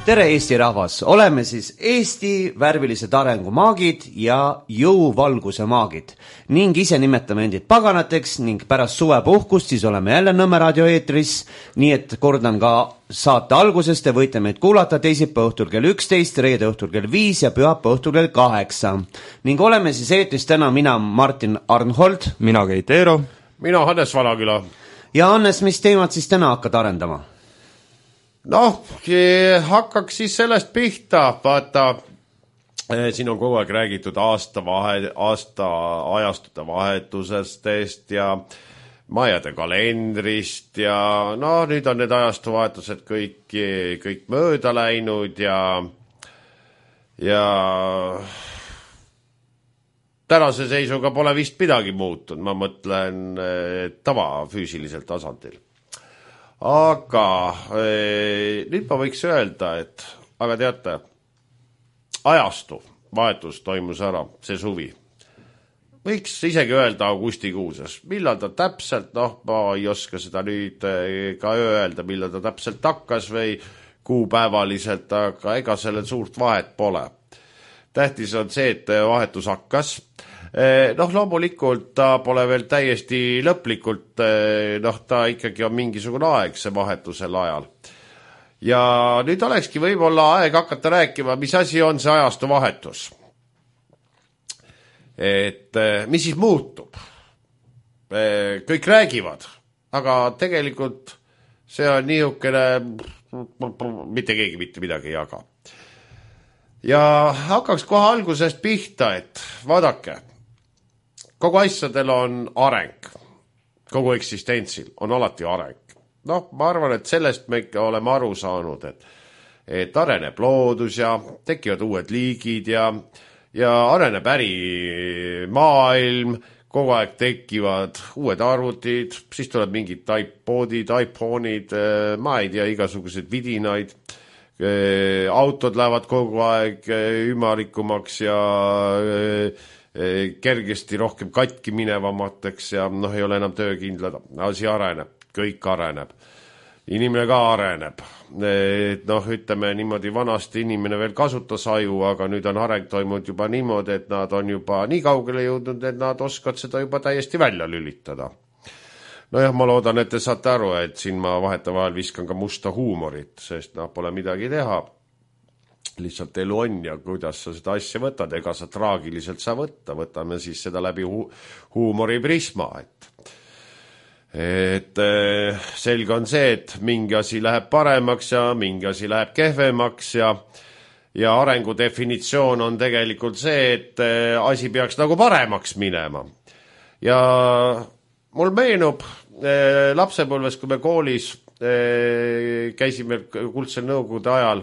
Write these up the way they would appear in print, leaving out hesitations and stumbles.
Tere Eesti rahvas, oleme siis Eesti värvilised arengumaagid ja jõuvalguse maagid ning ise nimetame endid paganateks ning pärast suvepuhkust siis oleme jälle Nõmme raadio eetris, nii et kordan ka saate algusest, te võite meid kuulata teisipäeva õhtul kell 11, reede õhtul kell 5 ja pühapäeva õhtul kell 8 ning oleme siis eetris täna mina Martin Arnhold, mina Keit Eero, mina Hannes Valaküla. Ja Hannes, mis teemad siis täna hakkad arendama? Noh, hakkaks siis sellest pihta, vaata, siin on kogu aeg räägitud aasta ajastute vahetusest ja majade kalendrist ja no nüüd on need ajastuvahetused kõik mööda läinud ja tänase seisuga pole vist midagi muutunud, ma mõtlen tavafüüsilisel tasandil. Aga nüüd ma võiks öelda, et aga teate, ajastu vahetus toimus ära see suvi. Võiks isegi öelda augustikuuses. Millal ta täpselt, ma ei oska seda nüüd ka öelda, millal ta täpselt hakkas või kuupäevaliselt, aga ega sellel suurt vahet pole. Tähtis on see, et vahetus hakkas. Loomulikult ta pole veel täiesti lõplikult, ta ikkagi on mingisugune aeg see vahetusel ajal. Ja nüüd olekski võib-olla aeg hakata rääkima, mis asi on see ajastu vahetus. Et mis siis muutub? Kõik räägivad, aga tegelikult see on niisugune, mitte keegi mitte midagi ei jaga. Ja hakkaks kohe algusest pihta, et vaadake, kogu asjadel on areng, kogu eksistentsil on alati areng. Ma arvan, et sellest me ikka oleme aru saanud, et areneb loodus ja tekivad uued liigid ja areneb ärimaailm, kogu aeg tekivad uued arvutid, siis tuleb mingid iPodid, iPhone'id, ma ei tea, igasugused vidinaid, autod lähevad kogu aeg ümarikumaks ja kergesti rohkem katki minevamateks ja ei ole enam töökindlad. Asi areneb, kõik areneb. Inimene ka areneb. Ütleme niimoodi, vanasti inimene veel kasutas aju, aga nüüd on areng toimunud juba niimoodi, et nad on juba nii kaugele jõudnud, et nad oskavad seda juba täiesti välja lülitada. Ma loodan, et te saate aru, et siin ma vahetevahel viskan ka musta huumorit, sest pole midagi teha. Lihtsalt elu on ja kuidas sa seda asja võtad, ega sa traagiliselt saa võtta, võtame siis seda läbi huumori prisma, et selge on see, et mingi asi läheb paremaks ja mingi asi läheb kehvemaks ja arengu definitsioon on tegelikult see, et asi peaks nagu paremaks minema. Ja mul meenub lapsepõlves, kui me koolis käisime kuldsel nõukogude ajal,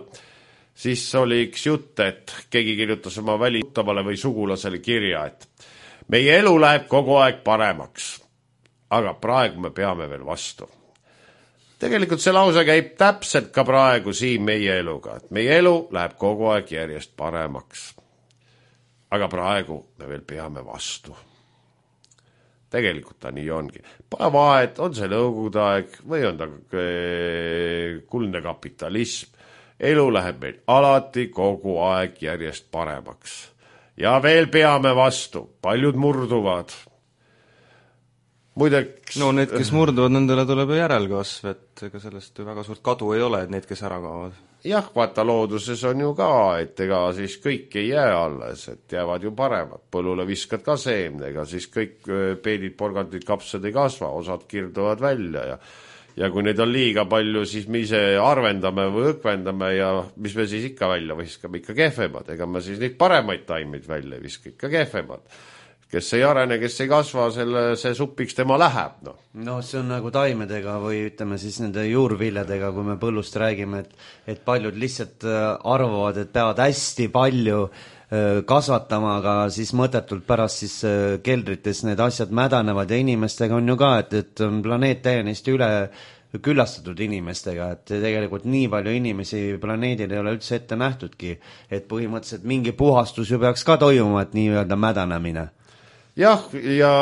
siis oli üks jutt, et keegi kirjutas oma välituttavale või sugulasele kirja, et meie elu läheb kogu aeg paremaks, aga praegu me peame veel vastu. Tegelikult see lause käib täpselt ka praegu siin meie eluga, et meie elu läheb kogu aeg järjest paremaks, aga praegu me veel peame vastu. Tegelikult ta nii ongi. Pole vahet, on see nõukogude aeg või on ta kuldne kapitalism. Elu läheb meil alati kogu aeg järjest paremaks. Ja veel peame vastu. Paljud murduvad. Muideks... need, kes murduvad, nendele tuleb järelkasv, et ega sellest väga suurt kadu ei ole, et need, kes ära kaovad. Jah, vaata looduses on ju ka, et ega siis kõik ei jää alles, et jäävad ju paremad. Põllule viskad ka seemne, ega siis kõik peedid, porgandid, kapsad ei kasva, osad kirduvad välja ja kui neid on liiga palju, siis me ise arvendame või õkvendame ja mis me siis ikka välja viskame, ikka kehvemad. Ega me siis neid paremaid taimeid välja viska, ikka kehvemad. Kes ei arene, kes ei kasva, see supiks tema läheb. See on nagu taimedega või ütleme siis nende juurviljadega, kui me põllust räägime, et paljud lihtsalt arvavad, et peavad hästi palju kasvatama, aga siis mõttetult pärast siis keldrites need asjad mädanevad ja inimestega on ju ka, et on planeet täiesti üle küllastatud inimestega, et tegelikult nii palju inimesi planeedil ei ole üldse ette nähtudki, et põhimõtteliselt mingi puhastus ju peaks ka toimuma, et nii-öelda mädanemine. Jah, ja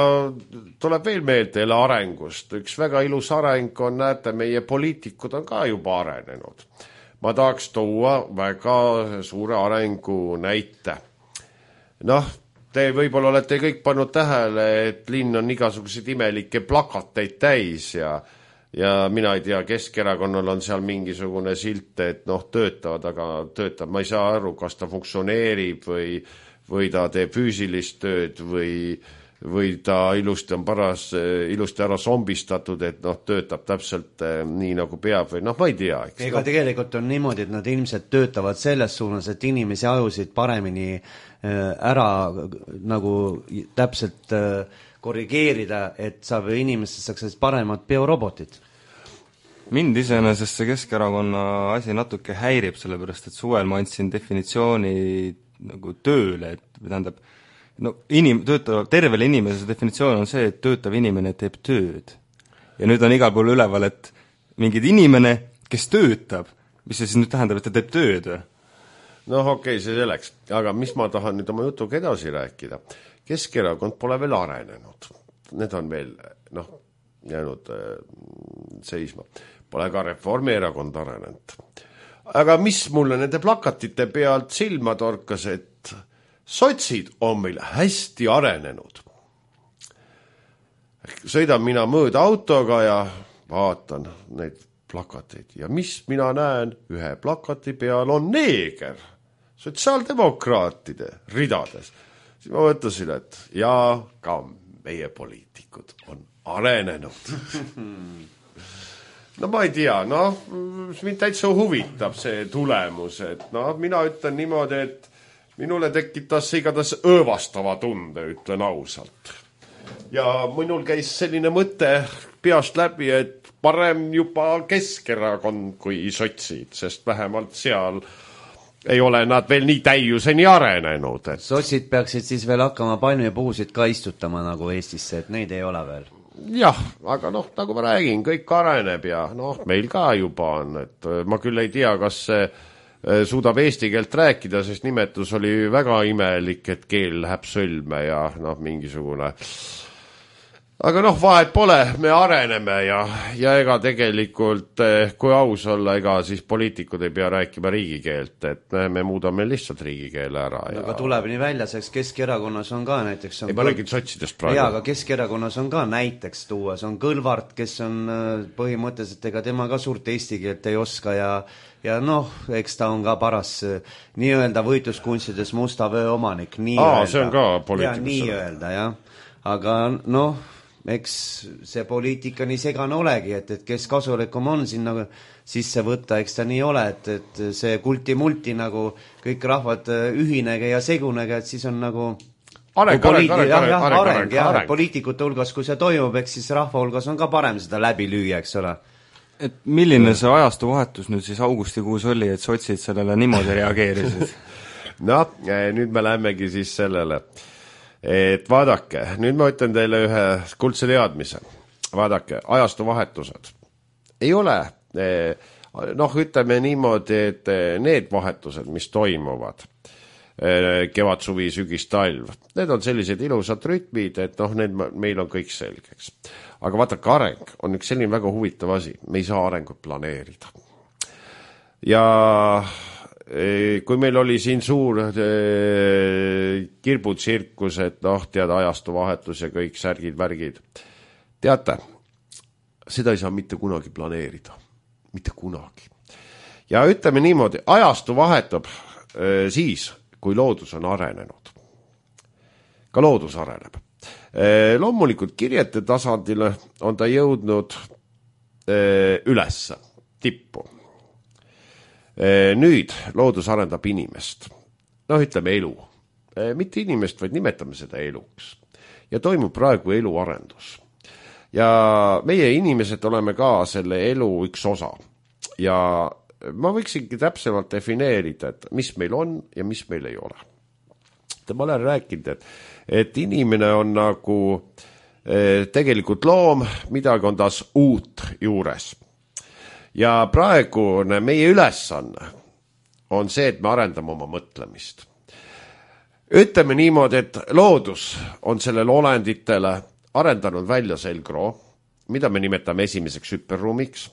tuleb veel meelde jälle arengust. Üks väga ilus areng on, näete, meie poliitikud on ka juba arenenud. ma tahaks tuua väga suure arengu näite. Noh, te võib-olla olete kõik pannud tähele, et linn on igasuguseid imelikke plakateid täis ja mina ei tea, Keskerakonnal on seal mingisugune silt, et noh, töötavad, aga töötab, ma ei saa aru, kas ta funktsioneerib või ta teeb füüsilist tööd või ta ilusti on ilusti ära zombistatud, et noh, töötab täpselt nii nagu peab või noh, ma ei tea. Ega tegelikult on niimoodi, et nad ilmselt töötavad selles suunas, et inimesi ajusid paremini ära nagu täpselt korrigeerida, et inimestest saaks paremad biorobotid. Mind iseenesest see Keskerakonna asi natuke häirib, sellepärast et suvel ma andsin definitsiooni nagu tööle, et tähendab, no tervele inimese definitsioon on see, et töötav inimene teeb tööd. Ja nüüd on igal pool üleval, et mingid inimene, kes töötab, mis see siis nüüd tähendab, et ta teeb tööd või? Noh, okei, see selleks. Aga mis ma tahan nüüd oma jutuga edasi rääkida? Keskerakond pole veel arenenud. Need on veel jäänud seisma. Pole ka Reformierakond arenenud. Aga mis mulle nende plakatite pealt silma torkas, et sotsid on meil hästi arenenud. Sõidan mina mööda autoga ja vaatan neid plakateid. Ja mis mina näen? Ühe plakati peal on neeger. Sotsiaaldemokraatide ridades. Siis ma mõtlesin, et ka meie poliitikud on arenenud. No ma ei tea, mind täitsa huvitab see tulemus, et mina ütlen niimoodi, et minule tekitas igatahes õõvastava tunde, ütlen ausalt. Ja minul käis selline mõte peast läbi, et parem juba Keskerakond kui sotsid, sest vähemalt seal ei ole nad veel nii täiuseni arenenud. Et... Sotsid peaksid siis veel hakkama palmipuusid ka istutama nagu Eestisse, et neid ei ole veel. Jah, aga nagu ma räägin, kõik areneb ja meil ka juba on, et ma küll ei tea, kas see suudab eesti keelt rääkida, sest nimetus oli väga imelik, et keel läheb sõlme ja mingisugune. Aga vahet pole, me areneme ja ega tegelikult, kui aus olla, ega siis poliitikud ei pea rääkima riigikeelt, et me muudame lihtsalt riigikeele ära. Aga tuleb nii välja, sest Keskerakonnas on ka näiteks... Ei, ma räägin sotsidest praegu. Jaa, aga Keskerakonnas on ka näiteks tuua, see on Kõlvart, kes on põhimõtteliselt, ega tema ka suurt eesti keelt ei oska ja eks ta on ka paras nii-öelda võitluskunstides musta vöö omanik. See on ka poliitikus. Nii-öelda, jah. Aga eks see poliitika nii segane olegi, et kes kasulikum on sinna sisse võtta, eks ta nii ole, et see kulti-multi nagu kõik rahvad ühinege ja segunege, et siis on nagu areng. Poliitikute hulgas, kui see toimub, eks siis rahva hulgas on ka parem seda läbi lüüa, eks ole. Et milline see ajastu vahetus nüüd siis augustikuus oli, et sotsid sellele niimoodi reageerisid? Nüüd me lähemegi siis sellele. Et vaadake, nüüd ma ütlen teile ühe kuldse teadmise. Vaadake, ajastu vahetused. Ei ole, ütleme niimoodi, et need vahetused, mis toimuvad, kevad, suvi, sügis, talv, need on sellised ilusad rütmid, et need meil on kõik selgeks. Aga vaadake, areng on üks selline väga huvitav asi. Me ei saa arengut planeerida. Ja... kui meil oli siin suur kirbutsirkus, et ajastu vahetus ja kõik särgid, värgid. Teate, seda ei saa mitte kunagi planeerida. Mitte kunagi. Ja ütleme niimoodi, ajastu vahetab siis, kui loodus on arenenud. Ka loodus areneb. Loomulikult kirjete tasandile on ta jõudnud ülesse, tippu. Nüüd loodus arendab inimest. Ütleme elu. Mitte inimest, vaid nimetame seda eluks. Ja toimub praegu eluarendus. Ja meie inimesed oleme ka selle elu üks osa. Ja ma võiksingi täpsemalt defineerida, et mis meil on ja mis meil ei ole. Ma olen rääkinud, et inimene on nagu tegelikult loom, midagi on taas uut juures. Ja praegu meie ülesanne on see, et me arendame oma mõtlemist. Ütleme niimoodi, et loodus on sellele olenditele arendanud välja selgroo, mida me nimetame esimeseks hüperruumiks.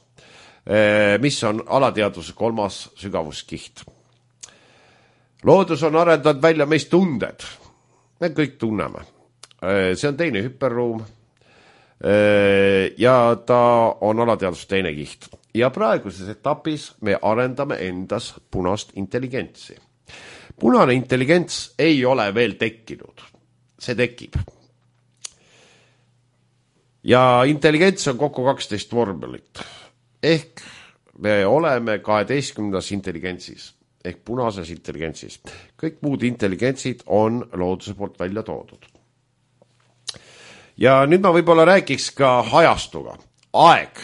mis on alateadvuse 3. sügavuskiht. Loodus on arendanud välja meist tunded. Me kõik tunneme. See on teine hüperruum ja ta on alateadvuse teine kiht. Ja praeguses etapis me arendame endas punast intelligentsi. Punane intelligents ei ole veel tekkinud. See tekib. Ja intelligents on kokku 12 vormelit. Ehk me oleme 12. intelligentsis. Ehk punases intelligentsis. Kõik muud intelligentsid on looduse poolt välja toodud. Ja nüüd ma võib-olla rääkiks ka ajastuga. Aeg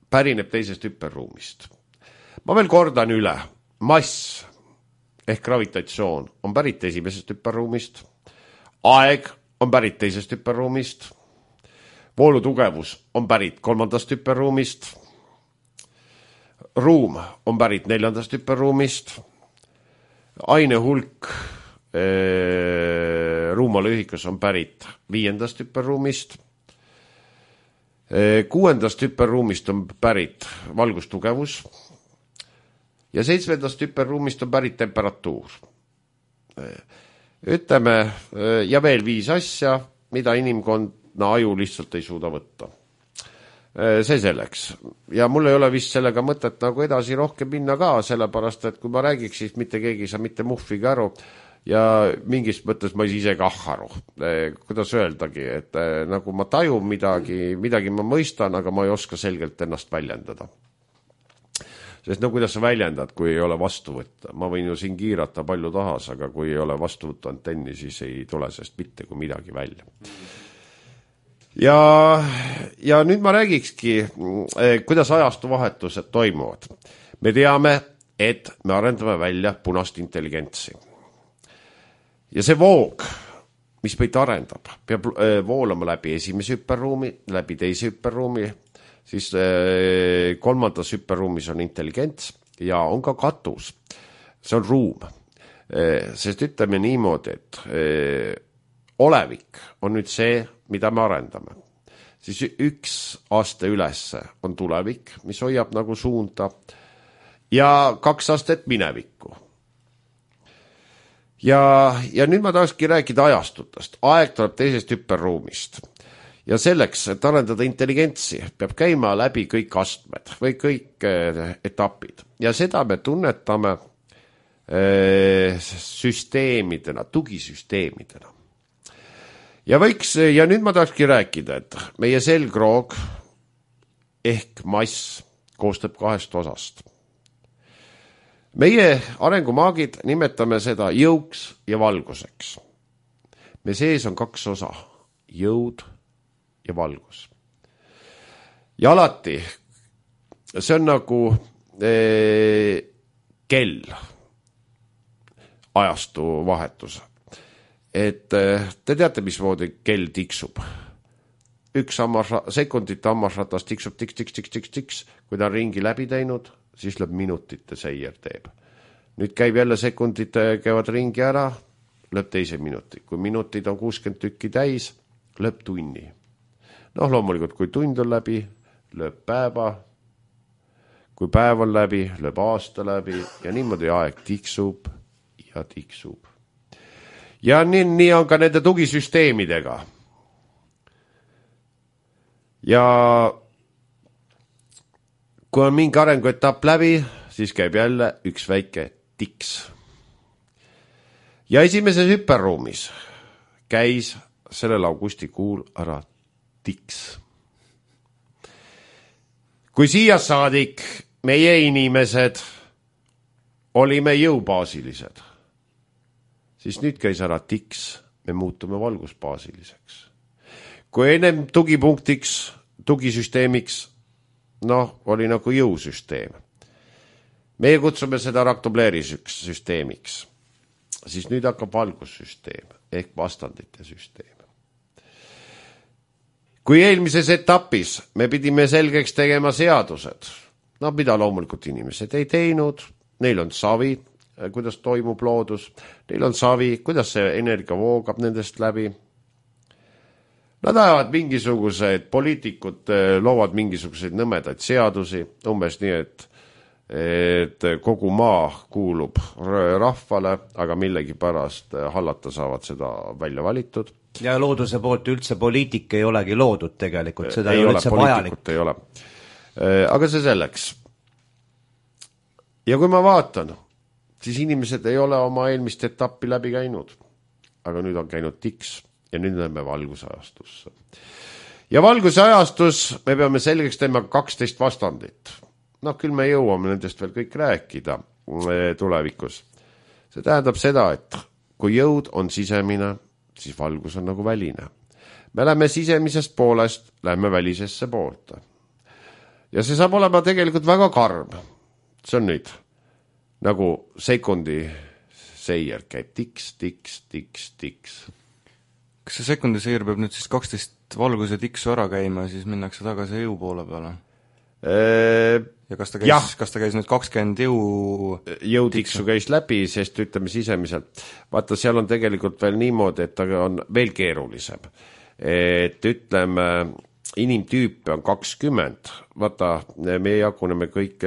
pärineb teisest hüperruumist. Ma veel kordan üle. Mass ehk gravitatsioon on pärit esimesest hüperruumist. Aeg on pärit teisest hüperruumist. Voolutugevus on pärit 3. hüperruumist. Ruum on pärit 4. hüperruumist. Aine hulk ruumalõhikus on pärit 5. hüperruumist. 6. hüperruumist on pärit valgustugevus. Ja 7. hüperruumist on pärit temperatuur. Ütleme, ja veel 5 asja, mida inimkonna aju lihtsalt ei suuda võtta. See selleks. Ja mul ei ole vist sellega mõtet nagu edasi rohkem minna ka, sellepärast, et kui ma räägiks, siis mitte keegi saa mitte muhviga aru ja mingis mõttes ma ise kah aru. Kuidas öeldagi, et nagu ma tajun midagi ma mõistan, aga ma ei oska selgelt ennast väljendada. Sest no kuidas sa väljendad, kui ei ole vastu võtta? Ma võin ju siin kiirata palju tahas, aga kui ei ole vastu võtta antenni, siis ei tule sest mitte kui midagi välja. Ja nüüd ma räägikski, kuidas ajastuvahetused toimuvad. Me teame, et me arendame välja punast intelligentsi. Ja see voog, mis meid arendab, peab voolama läbi esimese hüperruumi, läbi teise hüperruumi, siis 3. hüperruumis on intelligents ja on ka katus. See on ruum. Sest ütleme niimoodi, et olevik on nüüd see, mida me arendame. Siis 1 aste ülesse on tulevik, mis hoiab nagu suunda ja 2 astet minevikku. Ja nüüd ma tahakski rääkida ajastutest. Aeg tuleb teisest hüperruumist. Ja selleks, et arendada intelligentsi, peab käima läbi kõik astmed või kõik etapid. Ja seda me tunnetame süsteemidena, tugisüsteemidena. Ja nüüd ma tahakski rääkida, et meie selgroog ehk mass koostab 2 osast. Meie arengumaagid nimetame seda jõuks ja valguseks. Me sees on 2 osa, jõud ja valgus. Ja alati, see on nagu kell, ajastu vahetus. Et te teate, mismoodi kell tiksub. 1 sekundite hammasratas tiksub tiks. Kui ta on ringi läbi teinud, siis lööb minutite seier teeb. Nüüd käib jälle sekundid käivad ringi ära, lööb teise minuti. Kui minutid on 60 tükki täis, lööb tunni. Loomulikult, kui tund on läbi, lööb päeva. Kui päev on läbi, lööb aasta läbi ja niimoodi aeg tiksub ja tiksub. Ja nii on ka nende tugisüsteemidega. Ja kui on mingi arenguetapp läbi, siis käib jälle üks väike tiks. Ja esimeses hüperruumis käis sellel augustikuul ära tiks. Kui siia saadik meie inimesed olime jõubaasilised, siis nüüd käis ära tiks, me muutume valgusbaasiliseks. Kui ennem tugipunktiks, tugisüsteemiks, oli nagu jõusüsteem. Meie kutsume seda raktobleerisüsteemiks. Siis nüüd hakkab valgussüsteem ehk vastandite süsteem. Kui eelmises etapis me pidime selgeks tegema seadused, mida loomulikult inimesed ei teinud, neil on savi, kuidas toimub loodus, neil on savi, kuidas see energia voogab nendest läbi. Nad ajavad mingisugused, poliitikud loovad mingisuguseid nõmedaid seadusi, umbes nii, et kogu maa kuulub rahvale, aga millegipärast hallata saavad seda välja valitud. Ja looduse poolt üldse poliitik ei olegi loodud tegelikult, seda ei ole üldse vajalik. Ei ole. Aga see selleks. Ja kui ma vaatan, siis inimesed ei ole oma eelmist etappi läbi käinud, aga nüüd on käinud tiks. Ja nüüd näeme valgusajastusse. Ja valgusajastus me peame selgeks teema 12 vastandit. Küll me jõuame nendest veel kõik rääkida tulevikus. See tähendab seda, et kui jõud on sisemine, siis valgus on nagu väline. Me läheme sisemisest poolest, läheme välisesse poolte. Ja see saab olema tegelikult väga karm. See on nüüd nagu sekundi seier käib tiks, tiks, tiks, tiks. Kas see sekundiseir peab nüüd siis 12 valguse tiksu ära käima ja siis minnakse tagasi jõu poole peale? Ja kas ta käis nüüd 20 jõutiksu käis läbi, sest ütleme sisemiselt. Vaata, seal on tegelikult veel niimoodi, et ta on veel keerulisem. Et ütleme, inimtüüpe on 20. Vaata, me jaguneme kõik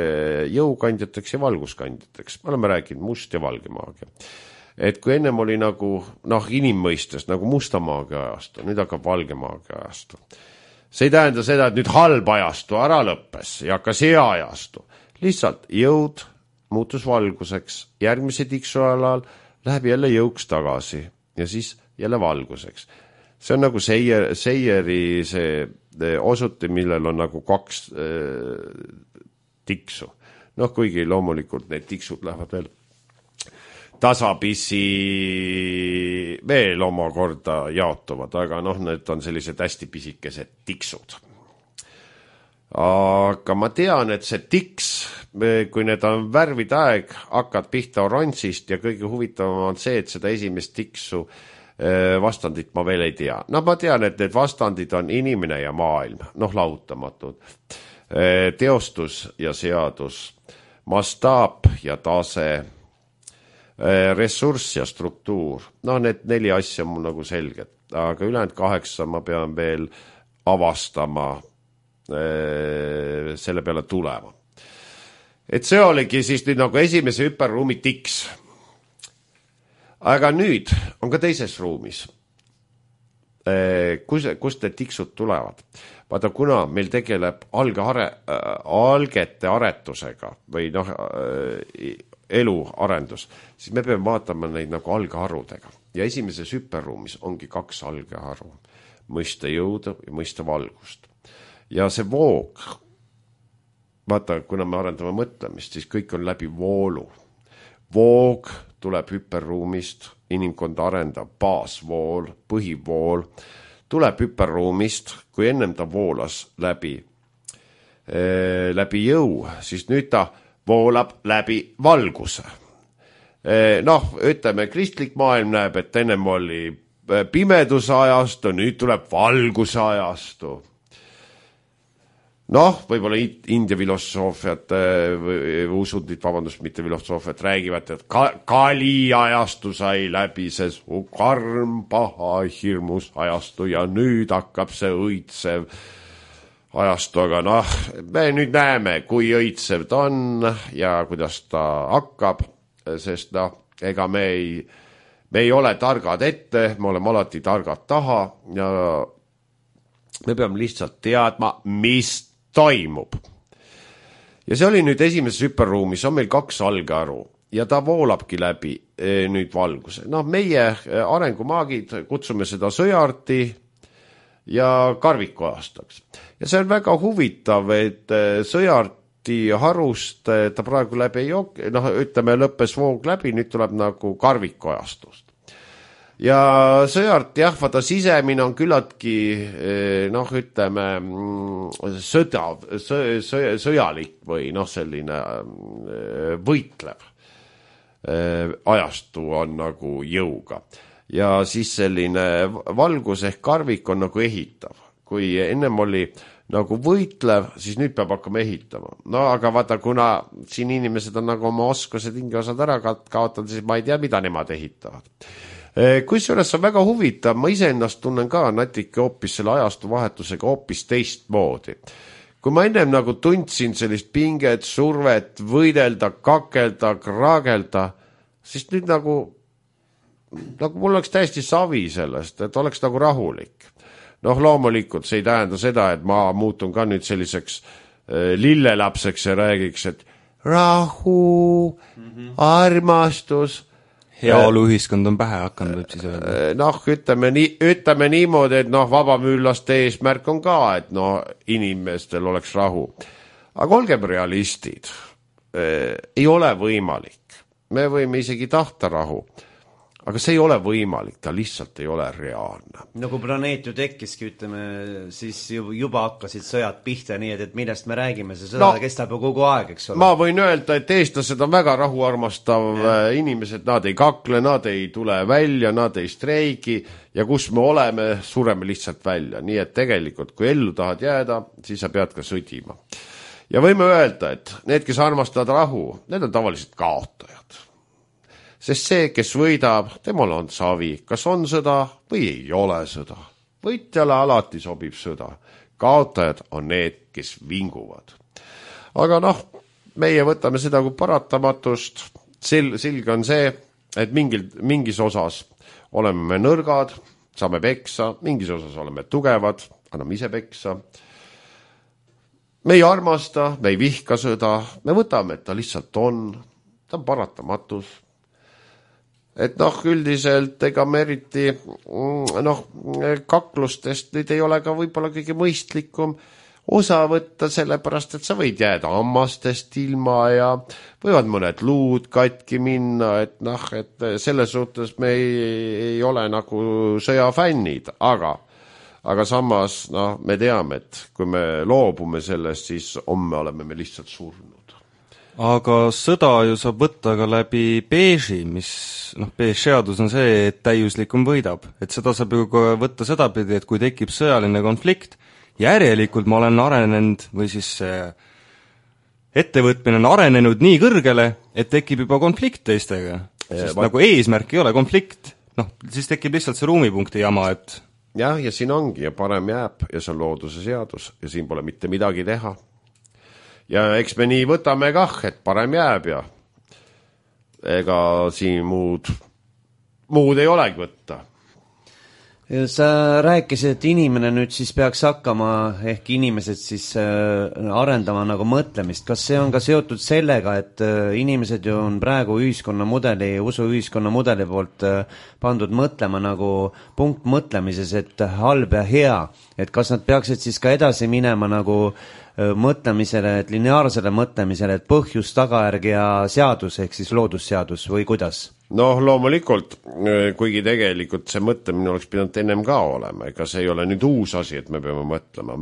jõukandjateks ja valguskandjateks. Me oleme rääkinud must ja valge maagia. Et kui ennem oli nagu, inimmõistes, nagu musta maagia ajastu, nüüd hakkab valge maagia ajastu. See ei tähenda seda, et nüüd halb ajastu ära lõppes ja hakkas hea ajastu. Lihtsalt jõud muutus valguseks, järgmise tiksu alal läheb jälle jõuks tagasi ja siis jälle valguseks. See on nagu seieri see osuti, millel on nagu 2 tiksu. Kuigi loomulikult need tiksud lähevad veel tasapisi veel omakorda jaotuvad, aga need on sellised hästi pisikesed tiksud. Aga ma tean, et see tiks, kui need on värvide aeg, hakkad pihta oranžist ja kõige huvitavam on see, et seda esimest tiksu vastandit ma veel ei tea. Ma tean, et need vastandid on inimene ja maailm, lahutamatud. Teostus ja seadus, mastaap ja tase, ressurss ja struktuur. Need 4 asja on mul nagu selged, aga ülejäänud 8 ma pean veel avastama, selle peale tulema. Et see oligi siis nüüd nagu esimese hüperruumi tiks. Aga nüüd on ka teises ruumis. Kust need tiksud tulevad? Vaata, kuna meil tegeleb algete aretusega või elu arendus, siis me peame vaatama neid nagu algeharudega. Ja esimeses hüperruumis ongi 2 algeharu. Mõista jõuda ja mõista valgust. Ja see voog, vaata, kuna me arendame mõtlemist, siis kõik on läbi voolu. Voog tuleb hüperruumist, inimkond arendab baasvool, põhivool, tuleb hüperruumist, kui ennem ta voolas läbi jõu, siis nüüd ta voolab läbi valguse. Ütleme, kristlik maailm näeb, et ennem oli pimeduse ajastu, nüüd tuleb valguse ajastu. Võib-olla India filosoofiat, usundid, mitte filosoofiat, räägivad, et Kali ajastu sai läbi see karm, paha, hirmus ajastu ja nüüd hakkab see õitsev ajastu, aga me nüüd näeme, kui õitsev ta on ja kuidas ta hakkab, sest ega me ei ole targad ette, me oleme alati targad taha ja me peame lihtsalt teadma, mis toimub. Ja see oli nüüd esimeses hüperruumis, on meil 2 algeharu ja ta voolabki läbi nüüd valguse. Meie arengumaagid kutsume seda sõjaarti ja karviku aastaks. Ja see on väga huvitav, et sõjaarti harust ta praegu läbi ei joogi, ütleme, lõppes voog läbi, nüüd tuleb nagu karviku ajastust. Ja sõjaart, vaata sisemine on küllaltki, ütleme, sõjalik või selline võitlev ajastu on nagu jõuga. Ja siis selline valgus ehk karvik on nagu ehitav. Kui ennem oli nagu võitlev, siis nüüd peab hakkama ehitama. Aga vaata, kuna siin inimesed on nagu oma oskused hingeosad ära kaotanud, siis ma ei tea, mida nemad ehitavad. Kusjuures on väga huvitav, ma iseennast tunnen ka natuke hoopis selle ajastu vahetusega hoopis teistmoodi. Kui ma ennem nagu tundsin sellist pinget, survet, võidelda, kakelda, kraagelda, siis nüüd nagu mul oleks täiesti savi sellest, et oleks nagu rahulik. Loomulikult see ei tähenda seda, et ma muutun ka nüüd selliseks lillelapseks ja räägiks, et rahu, armastus. Heaoluühiskond on pähe hakanud, võib siis öelda. Ütleme niimoodi, et vabamüülaste eesmärk on ka, et inimestel oleks rahu. Aga olgem realistid, ei ole võimalik. Me võime isegi tahta rahu. Aga see ei ole võimalik, ta lihtsalt ei ole reaalne. Kui planeet ju tekkiski, ütleme, siis juba hakkasid sõjad pihta, nii et millest me räägime, see sõda kestab ju kogu aeg, eks ole. Ma võin öelda, et eestlased on väga rahuarmastav inimesed, nad ei kakle, nad ei tule välja, nad ei streigi ja kus me oleme, sureme lihtsalt välja. Nii et tegelikult, kui ellu tahad jääda, siis sa pead ka sõdima. Ja võime öelda, et need, kes armastavad rahu, need on tavaliselt kaotajad. Sest see, kes võidab, temal on savi, kas on sõda või ei ole sõda. Võitjale alati sobib sõda. Kaotajad on need, kes vinguvad. Aga meie võtame seda kui paratamatust. Selge on see, et mingis osas oleme me nõrgad, saame peksa, mingis osas oleme tugevad, anname ise peksa. Me ei armasta, me ei vihka sõda, me võtame, et ta lihtsalt on, ta on paratamatus. Et üldiselt ega me eriti kaklustest nüüd ei ole ka võib-olla kõige mõistlikum osa võtta, sellepärast, et sa võid jääda hammastest ilma ja võivad mõned luud katki minna, et selles suhtes me ei ole nagu sõjafännid, aga samas me teame, et kui me loobume sellest, siis homme oleme me lihtsalt surnud. Aga sõda ju saab võtta ka läbi beeži, mis, beež-seadus on see, et täiuslikum võidab. Et seda saab ju võtta sedapidi, et kui tekib sõjaline konflikt, järelikult ma olen arenenud või siis ettevõtmine on arenenud nii kõrgele, et tekib juba konflikt teistega. Sest nagu eesmärk ei ole konflikt, siis tekib lihtsalt see ruumipunkti jama, et ja siin ongi ja parem jääb ja see on looduse seadus ja siin pole mitte midagi teha. Ja eks me nii võtame kah, et parem jääb ja ega siin muud ei olegi võtta. Sa rääkisid, et inimene nüüd siis peaks hakkama, ehk inimesed siis arendama nagu mõtlemist. Kas see on ka seotud sellega, et inimesed ju on praegu usuühiskonna mudeli poolt pandud mõtlema nagu punktmõtlemises, et halb ja hea. Et kas nad peaksid siis ka edasi minema nagu mõtlemisele, et lineaarsele mõtlemisele, et põhjus, tagajärg ja seadus, ehk siis loodusseadus või kuidas? Loomulikult, kuigi tegelikult see mõtlemine oleks pidanud ennem ka olema, ega see ei ole nüüd uus asi, et me peame mõtlema.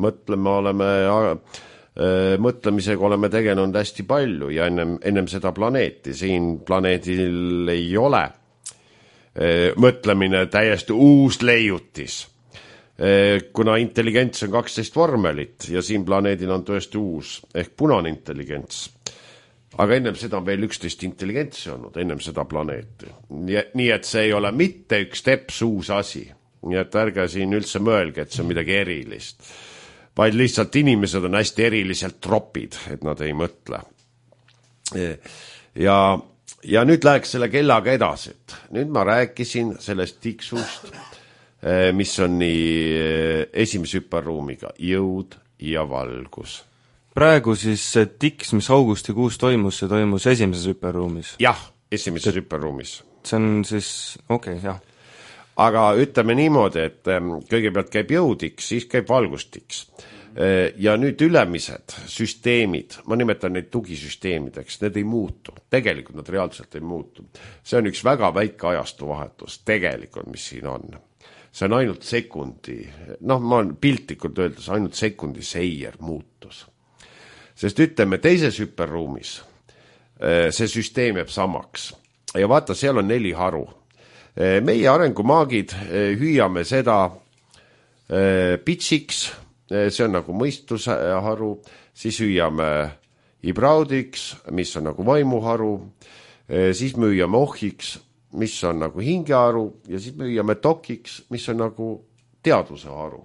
Mõtlemisega oleme tegelenud hästi palju ja ennem seda planeeti. Siin planeedil ei ole mõtlemine täiesti uus leiutis. Kuna intelligents on 12 vormelit ja siin planeedil on tõesti uus ehk punane intelligents. Aga ennem seda on veel 11 intelligentsi olnud, ennem seda planeeti. Nii et see ei ole mitte üks teps uus asi. Nii et ärge siin üldse mõelge, et see on midagi erilist. Vaid lihtsalt inimesed on hästi eriliselt tropid, et nad ei mõtle. Ja nüüd läheks selle kellaga edasi. Nüüd ma rääkisin sellest tiksust, mis on nii esimese hüperruumiga, jõud ja valgus. Praegu siis see tiks, mis augustikuus toimus, see toimus esimeses hüperruumis? Jah, esimeses hüperruumis. See on siis, jah. Aga ütleme niimoodi, et kõigepealt käib jõudiks, siis käib valgustiks. Ja nüüd ülemised süsteemid, ma nimetan neid tugisüsteemideks, need ei muutu. Tegelikult nad reaalselt ei muutu. See on üks väga väike ajastu vahetus, tegelikult, mis siin on. See on ainult sekundi, ma piltlikult öeldes, ainult sekundi seier muutus. Sest ütleme, teises hüperruumis see süsteem jääb samaks. Ja vaata, seal on 4 haru. Meie arengumaagid hüüame seda pitsiks, see on nagu mõistuse haru, siis hüüame ibraudiks, mis on nagu vaimuharu, siis me hüüame ohhiks, mis on nagu hingeharu ja siis me viime dokiks, mis on nagu teaduse haru.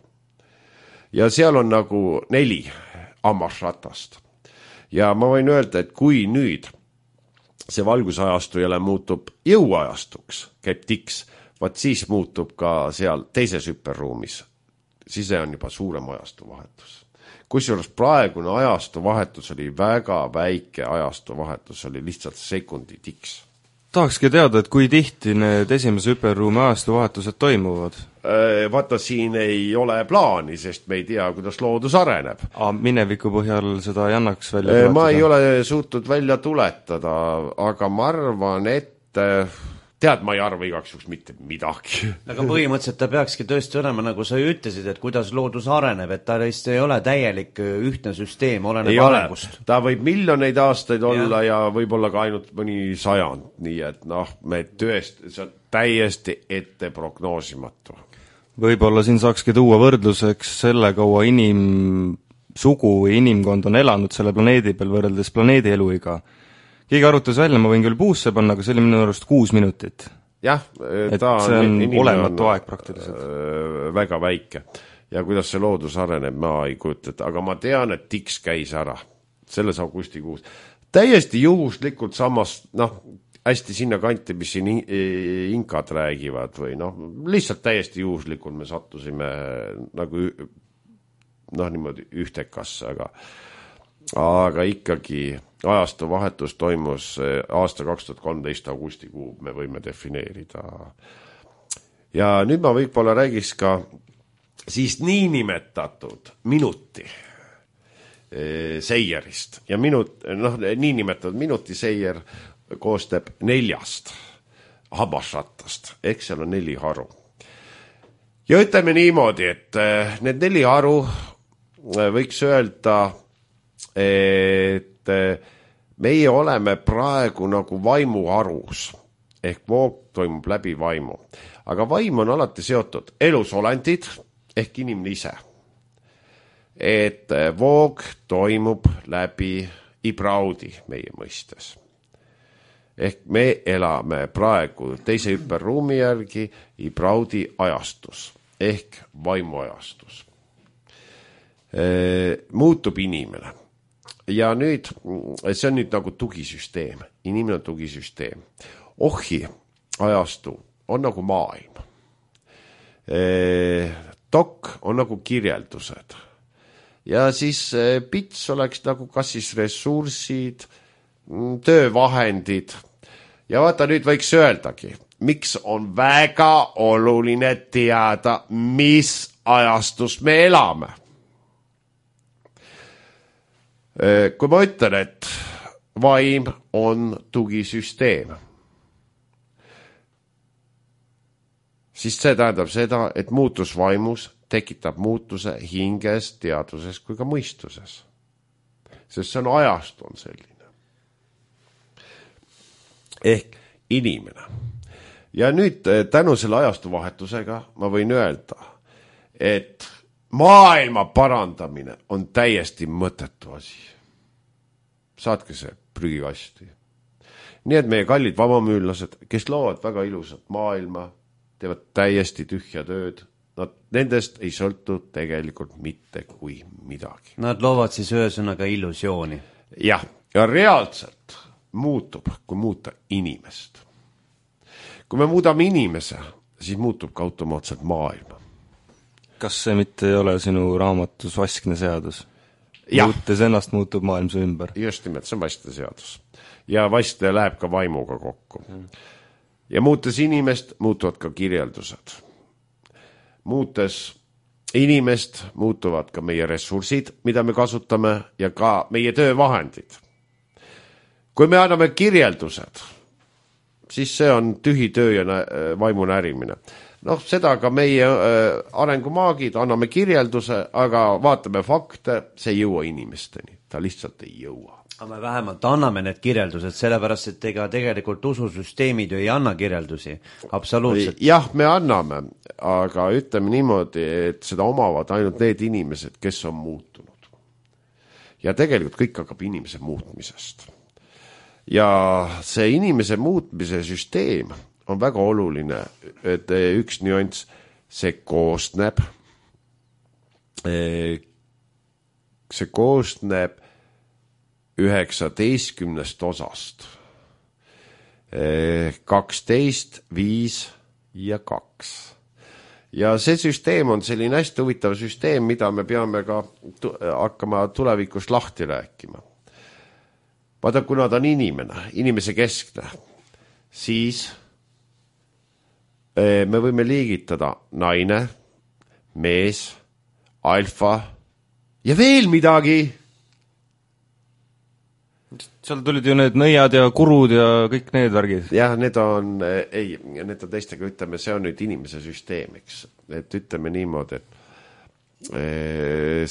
Ja seal on nagu 4 hammasratast. Ja ma võin öelda, et kui nüüd see valgusajastu jälle muutub jõuajastuks, käib tiks, vaat siis muutub ka seal teises hüperruumis. Siis see on juba suurem ajastu vahetus. Kusjuures praegune ajastu vahetus oli väga väike ajastu vahetus, oli lihtsalt sekundi tiks. Tahakski teada, et kui tihti need esimese hüperruumi ajastu vahetused toimuvad? Vaata, siin ei ole plaani, sest me ei tea, kuidas loodus areneb. Mineviku põhjal seda ei annaks välja tuletada? Ma ei ole suutnud välja tuletada, aga ma arvan, et tead, ma ei arva igaks juhuks mitte midagi. Aga põhimõtteliselt ta peakski tõesti olema, nagu sa ju ütlesid, et kuidas loodus areneb, et ta lihtsalt ei ole täielik ühtne süsteem, oleneb arengust. Ta võib miljoneid aastaid olla ja võib-olla ka ainult mõni 100, nii et me see on täiesti ette prognoosimatu. Võib-olla siin saakski tuua võrdluseks selle kaua inimsugu või inimkond on elanud selle planeedi peal võrreldes planeedi eluiga. Keegi arutas välja, ma võin küll puusse panna, aga see oli minu arust 6 minutit. Jah, ta on olematu aeg praktiliselt. Väga väike. Ja kuidas see loodus areneb, ma ei kujuta, aga ma tean, et tiks käis ära selles augustikuus. Täiesti juhuslikult samas, hästi sinna kanti, mis siin inkad räägivad või lihtsalt täiesti juhuslikult me sattusime nagu niimoodi ühtekasse, aga ikkagi ajastu vahetus toimus aasta 2013 augustikuu, me võime defineerida. Ja nüüd ma võib-olla räägiks ka siis niinimetatud minuti seierist. Ja niinimetatud minuti seier koostab 4 hammasrattast, ehk seal on 4 haru. Ja ütleme niimoodi, et need 4 haru võiks öelda, et meie oleme praegu nagu vaimuharus, ehk voog toimub läbi vaimu. Aga vaim on alati seotud elusolendid, ehk inimene ise. Et voog toimub läbi ibraudi meie mõistes. Ehk me elame praegu teise hüperruumi järgi ibraudi ajastus, ehk vaimuajastus. Muutub inimene. Ja nüüd, see on nüüd nagu tugisüsteem, inimene on tugisüsteem. Ohi ajastu on nagu maailm. Dok on nagu kirjeldused. Ja siis bits oleks nagu kas siis ressursid, töövahendid. Ja vaata, nüüd võiks öeldagi, miks on väga oluline teada, mis ajastus me elame. Kui ma ütlen, et vaim on tugisüsteem, siis see tähendab seda, et muutus vaimus tekitab muutuse hinges, teaduses kui ka mõistuses. Sest see on ajastu on selline. Ehk inimene. Ja nüüd tänu selle ajastu vahetusega ma võin öelda, et maailma parandamine on täiesti mõttetu asi. Saatke see prügikasti. Nii et meie kallid vabamüüllased, kes loovad väga ilusat maailma, teevad täiesti tühja tööd, nendest ei sõltu tegelikult mitte kui midagi. Nad loovad siis ühesõnaga illusiooni. Jah, ja reaalselt muutub, kui muuta inimest. Kui me muudame inimese, siis muutub ka automaatselt maailma. Kas see mitte ei ole sinu raamatus vaskne seadus? Muutes ennast muutub maailm su ümber. Just nimelt, see on vaskne seadus. Ja vaskne läheb ka vaimuga kokku. Ja muutes inimest, muutuvad ka kirjeldused. Muutes inimest, muutuvad ka meie ressursid, mida me kasutame, ja ka meie töövahendid. Kui me anname kirjeldused, siis see on tühi töö ja vaimu närimine. Seda ka meie arengumaagid, anname kirjelduse, aga vaatame fakte, see ei jõua inimesteni. Ta lihtsalt ei jõua. Aga me vähemalt anname need kirjeldused, sellepärast, et ega tegelikult ususüsteemid ju ei anna kirjeldusi. Absoluutselt. Jah, me anname, aga ütleme niimoodi, et seda omavad ainult need inimesed, kes on muutunud. Ja tegelikult kõik hakkab inimese muutmisest. Ja see inimese muutmise süsteem on väga oluline, et üks nüanss, see koosneb 19 osast. 12, 5 ja 2. Ja see süsteem on selline hästi huvitav süsteem, mida me peame ka hakkama tulevikus lahti rääkima. Vaata, kuna ta on inimese keskne, siis me võime liigitada naine, mees, alfa ja veel midagi. Seal tulid ju need nõiad ja kurud ja kõik need värgid. Jah, need on teistega, ütleme, see on nüüd inimese süsteem, eks. Et ütleme niimoodi, et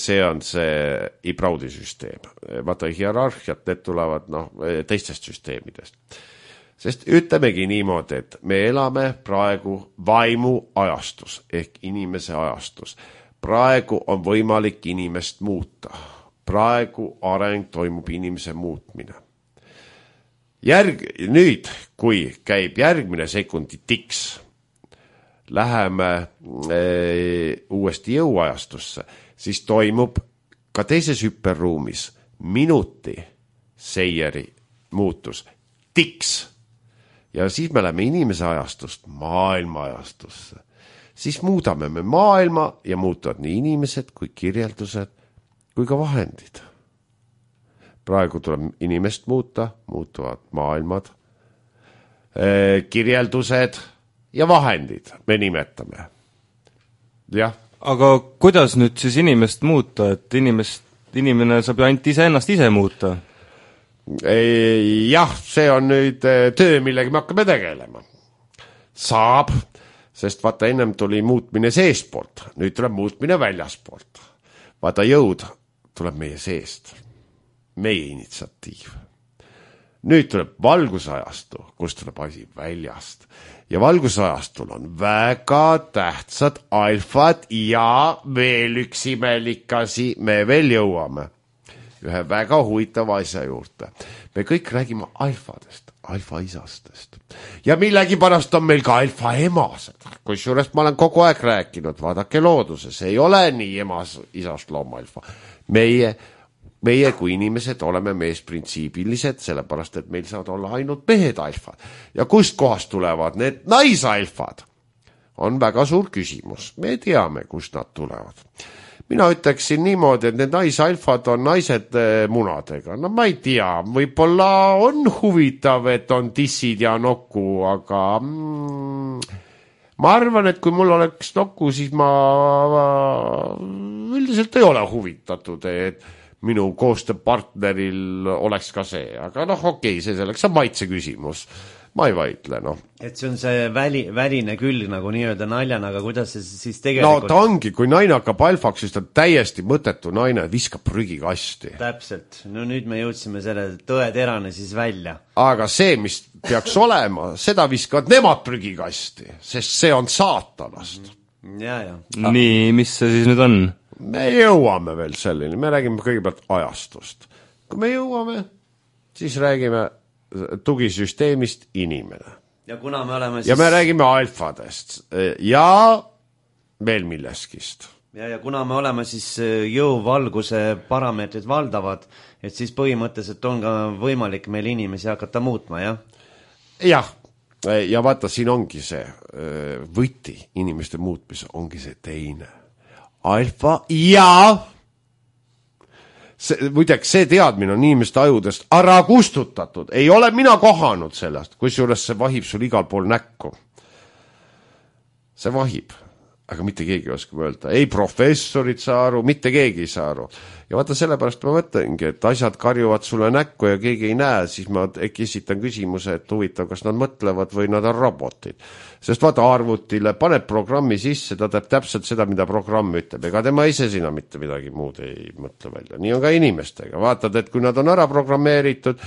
see on see Ibraudi süsteem. Vaata, hierarhiat, need tulevad teistest süsteemidest. Sest ütlemegi niimoodi, et me elame praegu vaimu ajastus ehk inimese ajastus. Praegu on võimalik inimest muuta. Praegu areng toimub inimese muutmine. Nüüd, kui käib järgmine sekundi tiks, läheme uuesti jõuajastusse, siis toimub ka teises hüperruumis minuti seieri muutus, tiks. Ja siis me läheme inimese ajastust maailma ajastusse. Siis muudame me maailma ja muutuvad nii inimesed kui kirjeldused kui ka vahendid. Praegu tuleb inimest muuta, muutuvad maailmad, kirjeldused ja vahendid me nimetame. Jah. Aga kuidas nüüd siis inimest muuta, et inimene saab ju ainult ennast ise muuta? Jah, see on nüüd töö, millega me hakkame tegelema. Saab, sest vaata ennem tuli muutmine seespoolt, nüüd tuleb muutmine väljaspoolt. Vaata jõud tuleb meie seest, meie initsiatiiv. Nüüd tuleb valgusajastu, kus tuleb asi väljast. Ja valgusajastul on väga tähtsad alfad ja veel üks imelik asi, me veel jõuame ühe väga huvitava asja juurde. Me kõik räägime alfadest, alfaisastest. Ja millegi pärast on meil ka alfaemased. Kusjuures ma olen kogu aeg rääkinud, vaadake looduses, ei ole nii isast looma alfa. Meie kui inimesed oleme meesprintsiibilised, sellepärast, et meil saavad olla ainult mehed alfad. Ja kust kohast tulevad need naisalfad? On väga suur küsimus. Me teame, kust nad tulevad. Mina ütleksin niimoodi, et need naisalfad on naised munadega. No ma ei tea, võib-olla on huvitav, et on tissid ja nokku, aga ma arvan, et kui mul oleks nokku, siis ma üldiselt ei ole huvitatud, et minu koostööpartneril oleks ka see. Aga okei, see selleks on maitse küsimus. Ma ei vaidle, Et see on see väline külg nagu nii-öelda naljana, aga kuidas see siis tegelikult... No ta ongi, kui naine hakkab alfaks, siis ta on täiesti mõttetu naine, viskab prügikasti. Täpselt. No nüüd me jõudsime selle tõeterane siis välja. Aga see, mis peaks olema, seda viskavad nemad prügikasti, sest see on saatanast. Ja. Nii, mis see siis nüüd on? Me jõuame veel selline, me räägime kõigepealt ajastust. Kui me jõuame, siis räägime tugisüsteemist inimene. Ja kuna me oleme siis... Ja me räägime alfadest ja veel milleskist. Ja kuna me oleme siis jõuvalguse parameetrid valdavad, et siis põhimõtteliselt on ka võimalik meil inimesi hakata muutma, jah? Jah, ja vaata, siin ongi see võti inimeste muutmise, ongi see teine. Alfa ja... Muideks, see teadmine on inimeste ajudest ära kustutatud. Ei ole mina kohanud sellest, kusjuures see vahib sul igal pool näkku. See vahib, aga mitte keegi oskab öelda. Ei professorid saa aru, mitte keegi ei saa aru. Ja vaata, sellepärast ma mõtlengi, et asjad karjuvad sulle näkku ja keegi ei näe, siis ma esitan küsimuse, et huvitav, kas nad mõtlevad või nad on robotid. Sest vaata, arvutile paned programmi sisse, ta teeb täpselt seda, mida programm ütleb. Ega tema ise sina mitte midagi muud ei mõtle välja. Nii on ka inimestega. Vaatad, et kui nad on ära programmeeritud,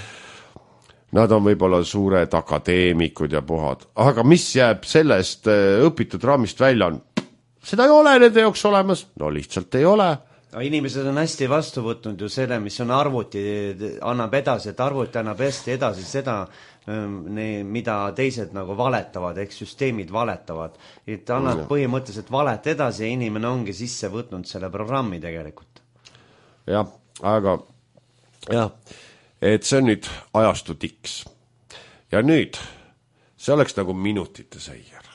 nad on võib-olla suured akadeemikud ja puhad. Aga mis jääb sellest õpitud raamist välja on? Seda ei ole nende jaoks olemas. No lihtsalt ei ole. Inimesed on hästi vastu võtnud ju selle, mis on arvuti, annab edasi, et arvuti annab hästi edasi seda, mida teised nagu valetavad, ehk süsteemid valetavad. Et annad põhimõtteliselt valet edasi ja inimene ongi sisse võtnud selle programmi tegelikult. Jah, aga jah, et see on nüüd ajastu tiks. Ja nüüd see oleks nagu minutite seier.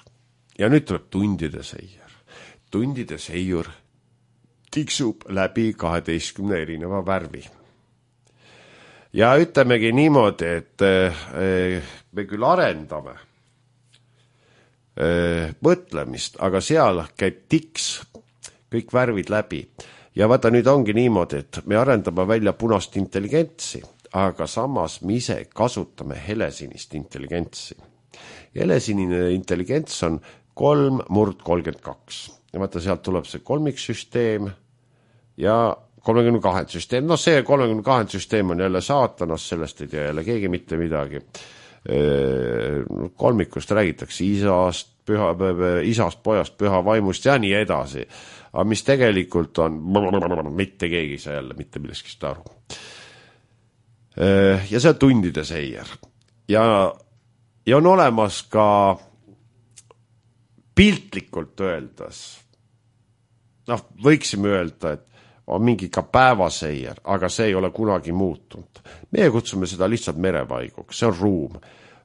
Ja nüüd tuleb tundide seier. Tundide seiur tiksub läbi 12 erineva värvi. Ja ütlemegi niimoodi, et me küll arendame mõtlemist, aga seal käib tiks kõik värvid läbi. Ja vaata, nüüd ongi niimoodi, et me arendame välja punast intelligentsi, aga samas me ise kasutame helesinist intelligentsi. Helesinine intelligents on 3/32. Ja vaata, sealt tuleb see kolmiksüsteem ja 32 süsteem. No see 32 süsteem on jälle saatanast, sellest ei tea jälle keegi mitte midagi. Kolmikust räägitakse isast, pojast, püha vaimust ja nii edasi. Aga mis tegelikult on, mitte keegi saa jälle mitte millestki aru. Ja see on tundide seier. Ja on olemas ka piltlikult öeldes, võiksime öelda, et on mingi ka päevaseier, aga see ei ole kunagi muutunud. Meie kutsume seda lihtsalt merevaiguks, see on ruum.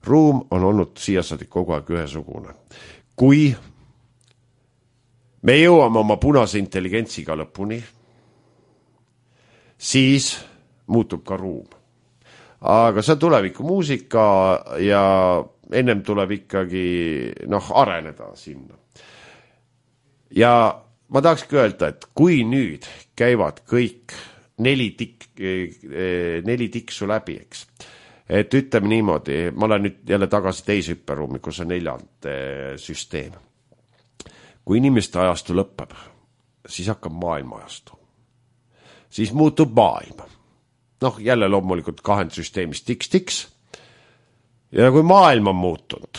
Ruum on olnud siiasadi kogu aeg ühesugune. Kui me jõuame oma punase intelligentsiga lõpuni, siis muutub ka ruum. Aga see on tuleviku muusika ja ennem tuleb ikkagi areneda sinna. Ja ma tahakski öelda, et kui nüüd käivad kõik 4 tiksu läbi, eks, et ütleme niimoodi, ma olen nüüd jälle tagasi teise hüpperuumi, kus on 4. süsteem. Kui inimeste ajastu lõpeb, siis hakkab maailma ajastu. Siis muutub maailm. Jälle loomulikult 2 süsteemist tiks-tiks. Ja kui maailm on muutunud,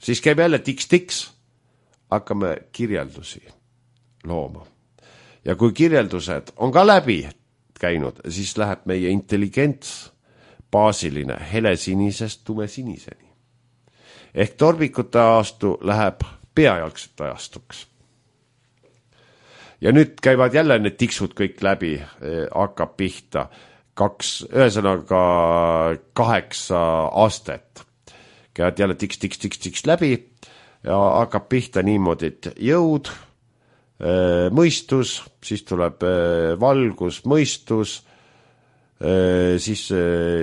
siis käib jälle tiks-tiks, hakkame kirjeldusi looma. Ja kui kirjeldused on ka läbi käinud, siis läheb meie intelligents baasiline helesinisest tumesiniseni. Ehk torbikute ajastu läheb peajalgsete ajastuks. Ja nüüd käivad jälle need tiksud kõik läbi, hakkab pihta 8 astet. Käivad jälle tiks läbi ja hakkab pihta niimoodi, et jõud, mõistus, siis tuleb valgus, mõistus, siis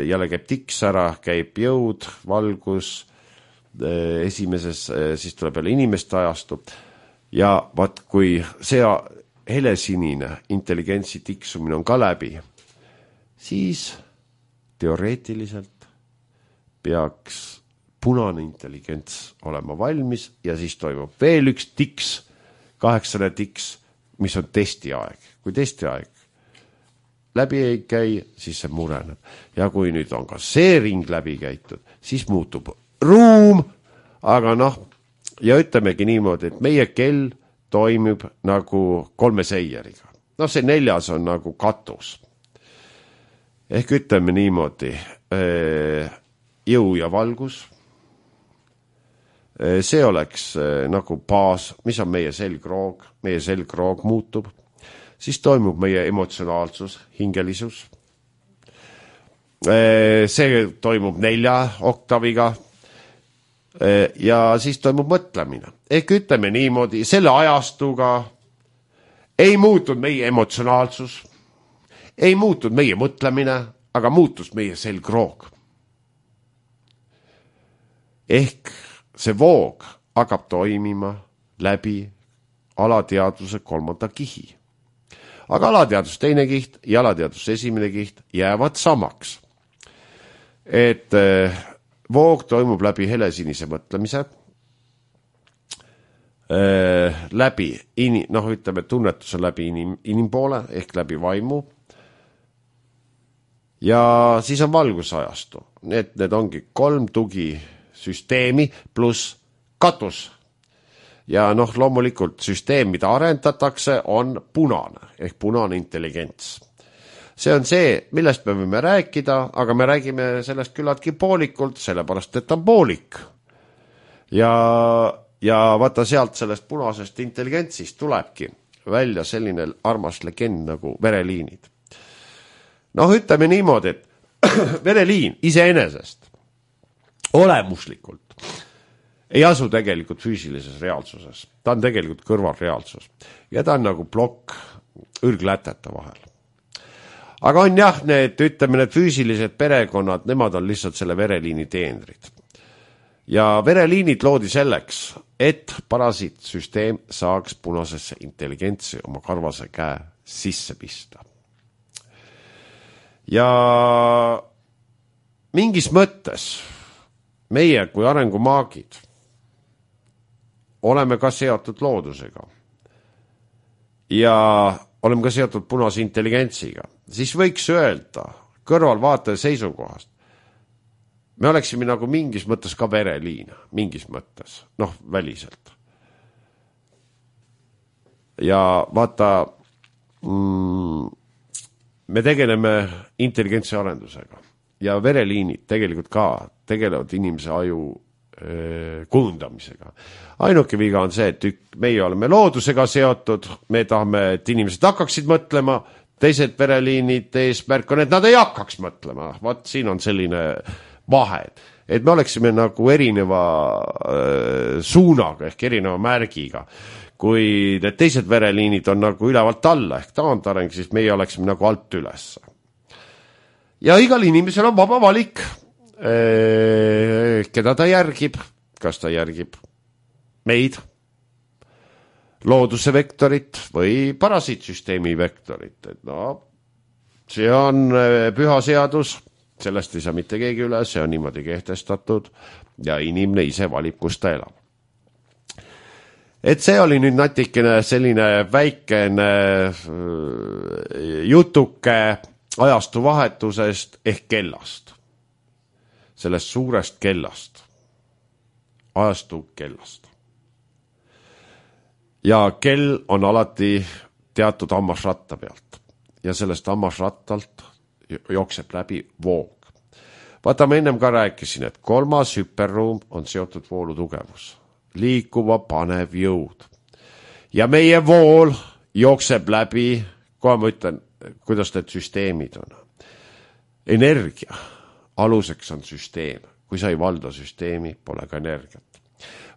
jälle käib tiks ära, käib jõud, valgus, esimeses, siis tuleb jälle inimeste ajastu. Ja vaat, kui see helesinine intelligentsi tiksumine on ka läbi, siis teoreetiliselt peaks punane intelligents olema valmis ja siis toimub veel üks tiks, 8. tiks, mis on testiaeg. Kui testiaeg läbi ei käi, siis see mureneb. Ja kui nüüd on ka see ring läbi käitud, siis muutub ruum, aga ja ütlemegi niimoodi, et meie kell toimib nagu 3 seieriga. See 4. on nagu katus. Ehk ütleme niimoodi, jõu ja valgus, see oleks nagu baas, mis on meie selgroog muutub, siis toimub meie emotsionaalsus, hingelisus, see toimub 4 oktaviga ja siis toimub mõtlemine. Ehk ütleme niimoodi, selle ajastuga ei muutud meie emotsionaalsus, ei muutud meie mõtlemine, aga muutus meie selgroog. Ehk see voog hakkab toimima läbi alateadvuse 3. kihi. Aga alateadvus 2. kiht ja alateadvus 1. kiht jäävad samaks. Et voog toimub läbi helesinise mõtlemise, läbi, ütleme tunnetuse läbi inimpoole ehk läbi vaimu ja siis on valgusajastu. Need ongi 3 tugisüsteemi pluss katus. Ja loomulikult süsteem, mida arendatakse, on punane ehk punane intelligents. see on see, millest me võime rääkida, aga me räägime sellest küllaltki poolikult, sellepärast, et on poolik. Ja vaata sealt sellest punasest intelligentsist tulebki välja selline armas legend nagu vereliinid. Noh, ütleme niimoodi, et vereliin iseenesest olemuslikult ei asu tegelikult füüsilises reaalsuses. Ta on tegelikult kõrvalreaalsus. Ja ta on nagu plokk õrglätete vahel. Aga on jah, ütleme, need füüsilised perekonnad, nemad on lihtsalt selle vereliini teenrid. Ja vereliinid loodi selleks, et parasiitsüsteem saaks punasesse intelligentsi oma karvase käe sisse pista. Ja mingis mõttes meie kui arengumaagid oleme ka seotud loodusega ja oleme ka seotud punase intelligentsiga, siis võiks öelda kõrvalvaataja seisukohast, me oleksime nagu mingis mõttes ka vereliin, mingis mõttes, noh, väliselt. Ja vaata, me tegeleme intelligentsi arendusega ja vereliinid tegelikult ka tegelevad inimese aju kujundamisega. Ainuke viga on see, et meie oleme loodusega seotud, me tahame, et inimesed hakkaksid mõtlema, teised vereliinid eesmärk on, et nad ei hakkaks mõtlema. Vaat siin on selline vahed, et me oleksime nagu erineva suunaga ehk erineva märgiga. Kui need teised vereliinid on nagu ülevalt alla ehk taandareng, siis meie oleksime nagu alt üles. Ja igal inimesel on vaba valik, keda ta järgib, kas ta järgib meid, looduse vektorit või parasiitsüsteemi vektorit. Et no, see on püha seadus, sellest ei saa mitte keegi üle, see on niimoodi kehtestatud ja inimene ise valib, kus ta elab. Et see oli nüüd natikene selline väikene jutuke ajastu vahetusest ehk kellast. Sellest suurest kellast. Ajastu kellast. Ja kell on alati teatud hammasratta pealt. Ja sellest hammasrattalt jookseb läbi voog. Vaata, ma ennem ka rääkisin, et 3. hüperruum on seotud voolu tugevus. Liikuva panev jõud. Ja meie vool jookseb läbi, kohe ma ütlen, kuidas need süsteemid on. Energia. Aluseks on süsteem. Kui sa ei valda süsteemi, pole ka energiat.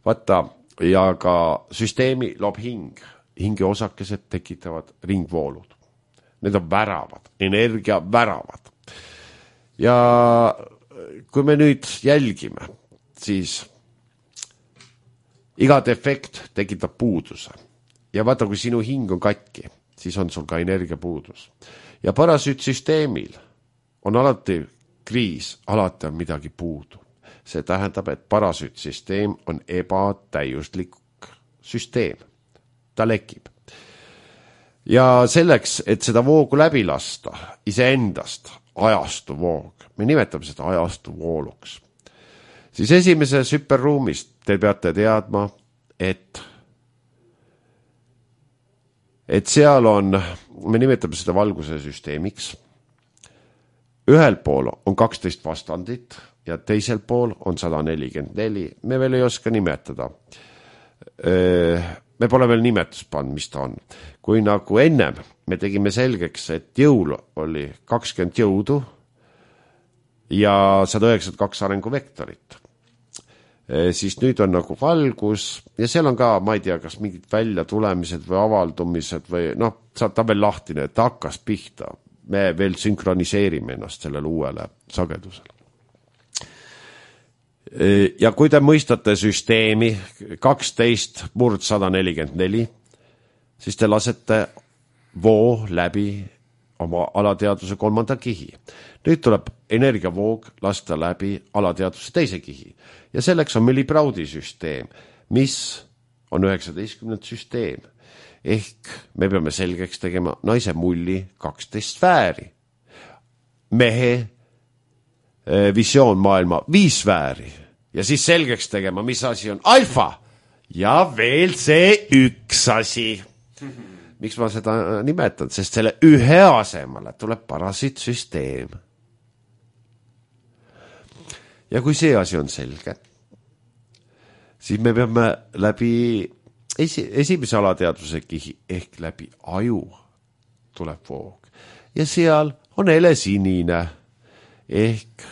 Vaata, ja ka süsteemi loob hing. Hinge osakesed tekitavad ringvoolud. Need on väravad, energia väravad. Ja kui me nüüd jälgime, siis iga defekt tekitab puuduse. Ja vaata, kui sinu hing on katki, siis on sul ka energiapuudus. Ja parasüütsüsteemil on alati kriis, alati on midagi puudu. See tähendab, et parasüütsüsteem on ebatäiuslik süsteem. Ta lekib. Ja selleks, et seda voogu läbi lasta, iseendast ajastu voog, me nimetame seda ajastu vooluks, siis esimeses hüperruumist te peate teadma, et seal on, me nimetame seda valguse süsteemiks, ühel pool on 12 vastandit ja teisel pool on 144, me veel ei oska nimetada. Me pole veel nimetust pannud, mis ta on. Kui nagu ennem me tegime selgeks, et jõul oli 20 jõudu ja 192 arenguvektorit, siis nüüd on nagu valgus ja seal on ka, ma ei tea, kas mingid väljatulemised või avaldumised või noh, saab ta veel lahtine, et ta hakkas pihta. Me veel sünkroniseerime ennast sellele uuele sagedusele. Ja kui te mõistate süsteemi 12/144, siis te lasete voo läbi oma alateaduse 3. kihi. Nüüd tuleb energiavoog lasta läbi alateaduse 2. kihi. Ja selleks on meil Libraudi süsteem, mis on 19. süsteem. Ehk me peame selgeks tegema naise mulli 12 sfääri. Mehe visioon maailma 5 sfääri. Ja siis selgeks tegema, mis asi on alfa. Ja veel see üks asi, miks ma seda nimetan, sest selle ühe asemale tuleb parasiitsüsteem. Ja kui see asi on selge, siis me peame läbi esimese alateadvuse kihi ehk läbi aju tuleb voog. Ja seal on helesinine ehk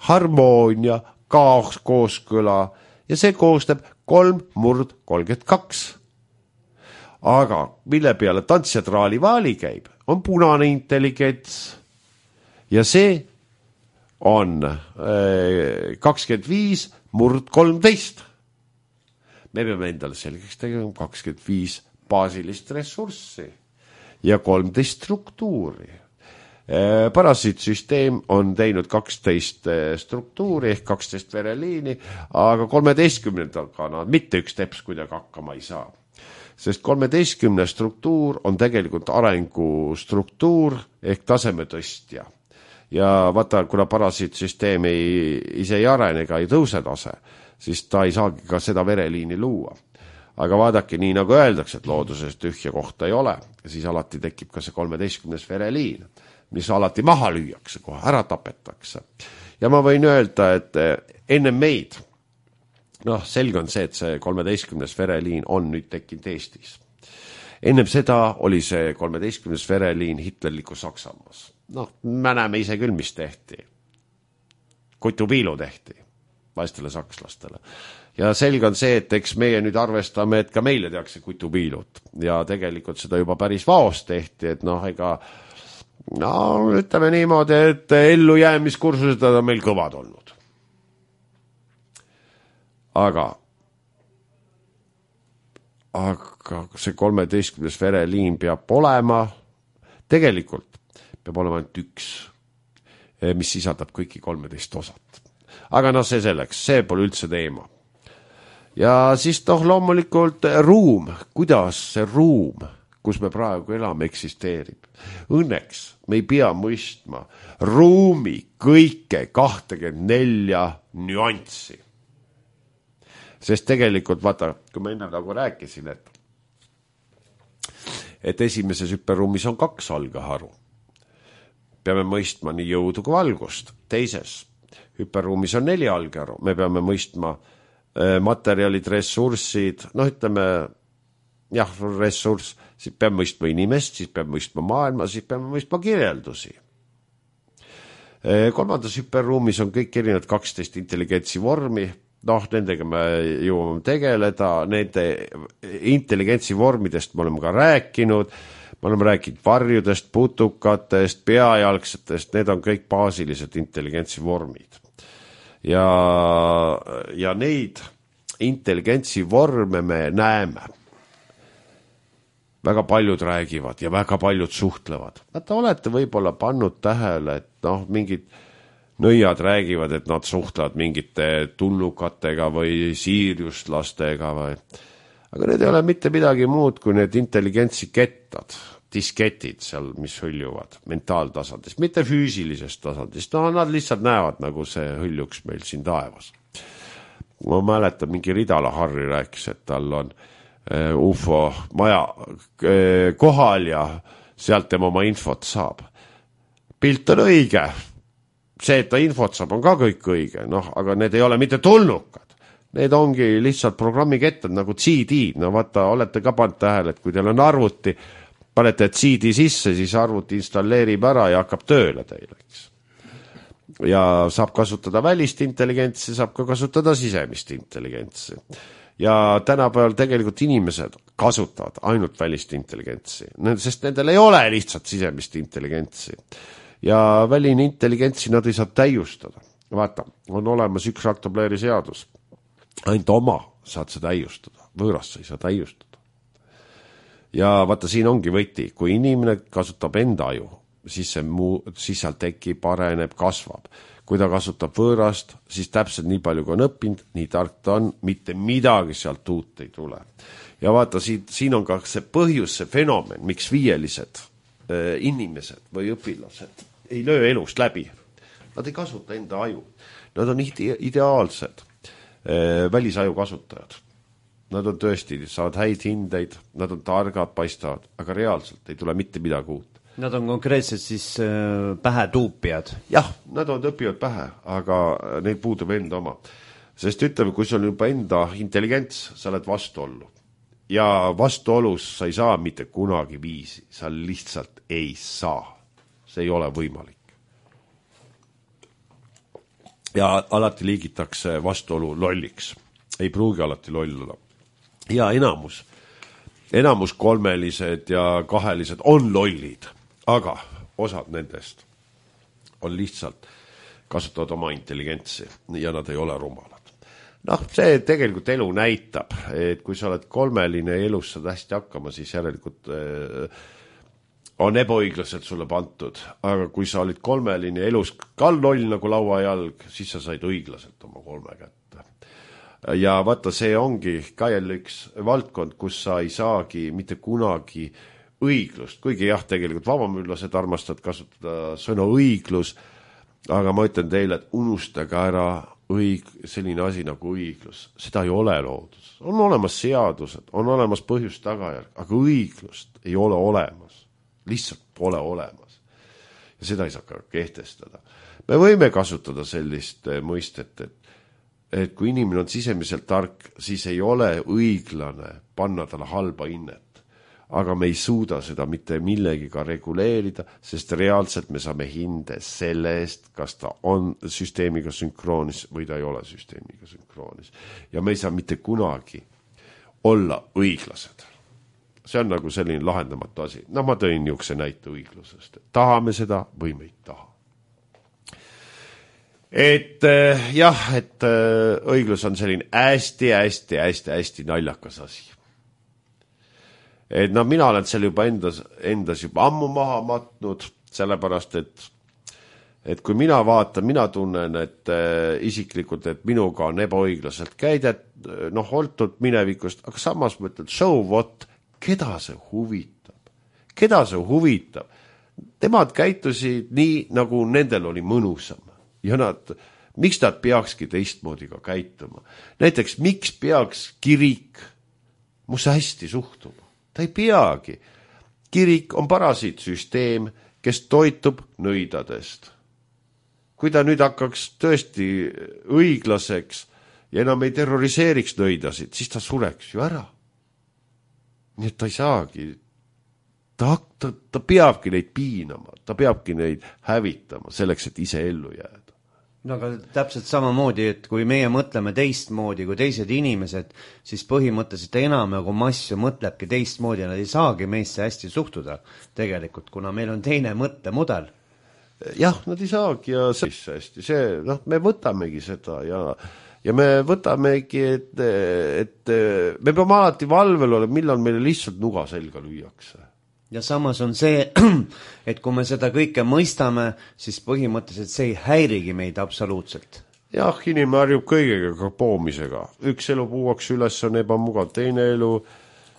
harmoonia, kooskõla ja see koostab 3/32. Aga mille peale tantsjatraali vaali käib, on punane intelligents ja see on 25/13. Me peame endale selgeks tegema 25 baasilist ressurssi ja 13 struktuuri. Parasiitsüsteem on teinud 12 struktuuri ehk 12 vereliini, aga 13-ga nad mitte üks teps kuidagi hakkama ei saa. Sest 13 struktuur on tegelikult arengustruktuur ehk tasemetõstja. Ja vaata, kuna parasiitsüsteem ise ei arene ega ei tõuse tase, siis ta ei saagi ka seda vereliini luua. Aga vaadake, nii nagu öeldakse, et looduses tühja kohta ei ole, siis alati tekib ka see 13 vereliin, mis alati maha lüüakse, kohe ära tapetakse. Ja ma võin öelda, et enne meid, selge on see, et see 13 vereliin on nüüd tekkinud Eestis. Ennem seda oli see 13 vereliin Hitlerliku Saksamaas. Me näeme ise küll, mis tehti. Kutupiilu tehti vaestele sakslastele. Ja selge on see, et eks meie nüüd arvestame, et ka meile tehakse kutupiilut. Ja tegelikult seda juba päris vaos tehti, et ütleme niimoodi, et ellujäämiskursused on meil kõvad olnud. Aga see 13 vereliin peab olema, tegelikult peab olema ainult üks, mis sisaldab kõiki 13 osat. Aga see selleks, see pole üldse teema. Ja siis loomulikult ruum, kuidas see ruum, kus me praegu elame, eksisteerib. Õnneks me ei pea mõistma ruumi kõike 24 nüanssi. Sest tegelikult, vaata, kui ma enne nagu rääkisin, et esimeses hüperruumis on 2 algeharu. Peame mõistma nii jõudu kui valgust. Teises hüperruumis on 4 algeharu. Me peame mõistma materjalid, ressursid, ressurss, siis peame mõistma inimest, siis peame mõistma maailma, siis peame mõistma kirjeldusi. Kolmandas hüperruumis on kõik erinevad 12 intelligentsi vormi. Nendega me jõuame tegeleda, nende intelligentsi vormidest me oleme ka rääkinud, me oleme rääkinud varjudest, putukatest, peajalgsetest, need on kõik baasilised intelligentsi vormid. Ja neid intelligentsi vorme me näeme. Väga paljud räägivad ja väga paljud suhtlevad. Vaata, olete võib-olla pannud tähele, et mingid nõiad räägivad, et nad suhtlevad mingite tulnukatega või siirjuslastega aga need ei ole mitte midagi muud kui need intelligentsi kettad, disketid seal, mis hõljuvad mentaaltasandist, mitte füüsilisest tasandist. Nad lihtsalt näevad, nagu see hõljuks meil siin taevas. Ma mäletan, mingi Ridala Harri rääkis, et tal on UFO maja kohal ja sealt tema oma infot saab. Pilt on õige. See, et ta infot saab, on ka kõik õige, aga need ei ole mitte tulnukad. Need ongi lihtsalt programmikettad nagu CD. Vaata, olete ka pannud tähele, et kui teil on arvuti, panete CD sisse, siis arvuti installeerib ära ja hakkab tööle teile. Ja saab kasutada välist intelligentsi, saab ka kasutada sisemist intelligentsi. Ja tänapäeval tegelikult inimesed kasutavad ainult välist intelligentsi, sest nendel ei ole lihtsalt sisemist intelligentsi. Ja väline intelligentsi nad ei saa täiustada. Vaata, on olemas üks raktopleeri seadus. Ainult oma saad sa täiustada, võõrast sa ei saa täiustada. Ja vaata, siin ongi võti, kui inimene kasutab enda aju, siis seal tekib, areneb, kasvab. Kui ta kasutab võõrast, siis täpselt nii palju kui on õppinud, nii tark ta on, mitte midagi sealt uut ei tule. Ja vaata, siin on ka see põhjus, see fenomen, miks viielised inimesed või õpilased ei löö elust läbi. Nad ei kasuta enda aju. Nad on ideaalsed välisaju kasutajad. nad on tõesti, saavad häid hindeid, nad on targad, paistavad, aga reaalselt ei tule mitte midagi uut. Nad on konkreetselt siis pähe tuupijad. Jah, nad on õpivad pähe, aga neil puudub enda oma. Sest ütleme, kui sul on juba enda intelligents, sa oled vastuollu. Ja vastuolus sa ei saa mitte kunagi viisi, sa lihtsalt ei saa. See ei ole võimalik. Ja alati liigitakse vastuolu lolliks. Ei pruugi alati loll olla. Ja enamus kolmelised ja kahelised on lollid. Aga osad nendest on lihtsalt kasutavad oma intelligentsi ja nad ei ole rumalad. Noh, see tegelikult elu näitab, et kui sa oled kolmeline ja elus saad hästi hakkama, siis järelikult on ebaõiglaselt sulle pantud. Aga kui sa olid kolmeline ja elus ka loll nagu lauajalg, siis sa said õiglaselt oma kolme kätte. Ja vaata, see ongi ka jälle üks valdkond, kus sa ei saagi mitte kunagi õiglust, kuigi jah, tegelikult vabamüllased armastavad kasutada sõna õiglus, aga ma ütlen teile, et unustage ära selline asi nagu õiglus. Seda ei ole loodus. On olemas seadused, on olemas põhjus tagajärg, aga õiglust ei ole olemas. Lihtsalt pole olemas. Ja seda ei saa ka kehtestada. Me võime kasutada sellist mõistet, et kui inimene on sisemiselt tark, siis ei ole õiglane panna talle halba hinnet. Aga me ei suuda seda mitte millegiga reguleerida, sest reaalselt me saame hinde selle eest, kas ta on süsteemiga sünkroonis või ta ei ole süsteemiga sünkroonis. Ja me ei saa mitte kunagi olla õiglased. See on nagu selline lahendamatu asi. No ma tõin niisuguse näite õiglusest. Tahame seda või me ei taha. Et õiglus on selline hästi naljakas asi. Et mina olen selle juba endas juba ammu maha matnud, sellepärast, et kui mina vaatan, mina tunnen, et isiklikult, et minuga on ebaõiglaselt käidet, oltud minevikust, aga samas mõtled, so what, keda see huvitab? Keda see huvitab? Temad käitusid nii, nagu nendel oli mõnusam. Ja miks nad peakski teistmoodi ka käituma? Näiteks, miks peaks kirik musse hästi suhtuma? Ta ei peagi. Kirik on parasiitsüsteem, kes toitub nõidadest. Kui ta nüüd hakkaks tõesti õiglaseks ja enam ei terroriseeriks nõidasid, siis ta sureks ju ära. Nii et ta ei saagi. Ta peabki neid piinama, ta peabki neid hävitama selleks, et ise ellu jääda. No aga täpselt samamoodi, et kui meie mõtleme teistmoodi kui teised inimesed, siis põhimõtteliselt enam massu mõtlebki teistmoodi ja nad ei saagi meisse hästi suhtuda tegelikult, kuna meil on teine mõttemudel. Jah, nad ei saagi ja hästi. Me võtamegi seda ja me võtamegi, et me peame alati valvel olema, millal meile lihtsalt nuga selga lüüakse. Ja samas on see, et kui me seda kõike mõistame, siis põhimõtteliselt see ei häirigi meid absoluutselt. Jah, inimene harjub kõigega ka poomisega. Üks elu puuaks üles on ebamugav, teine elu...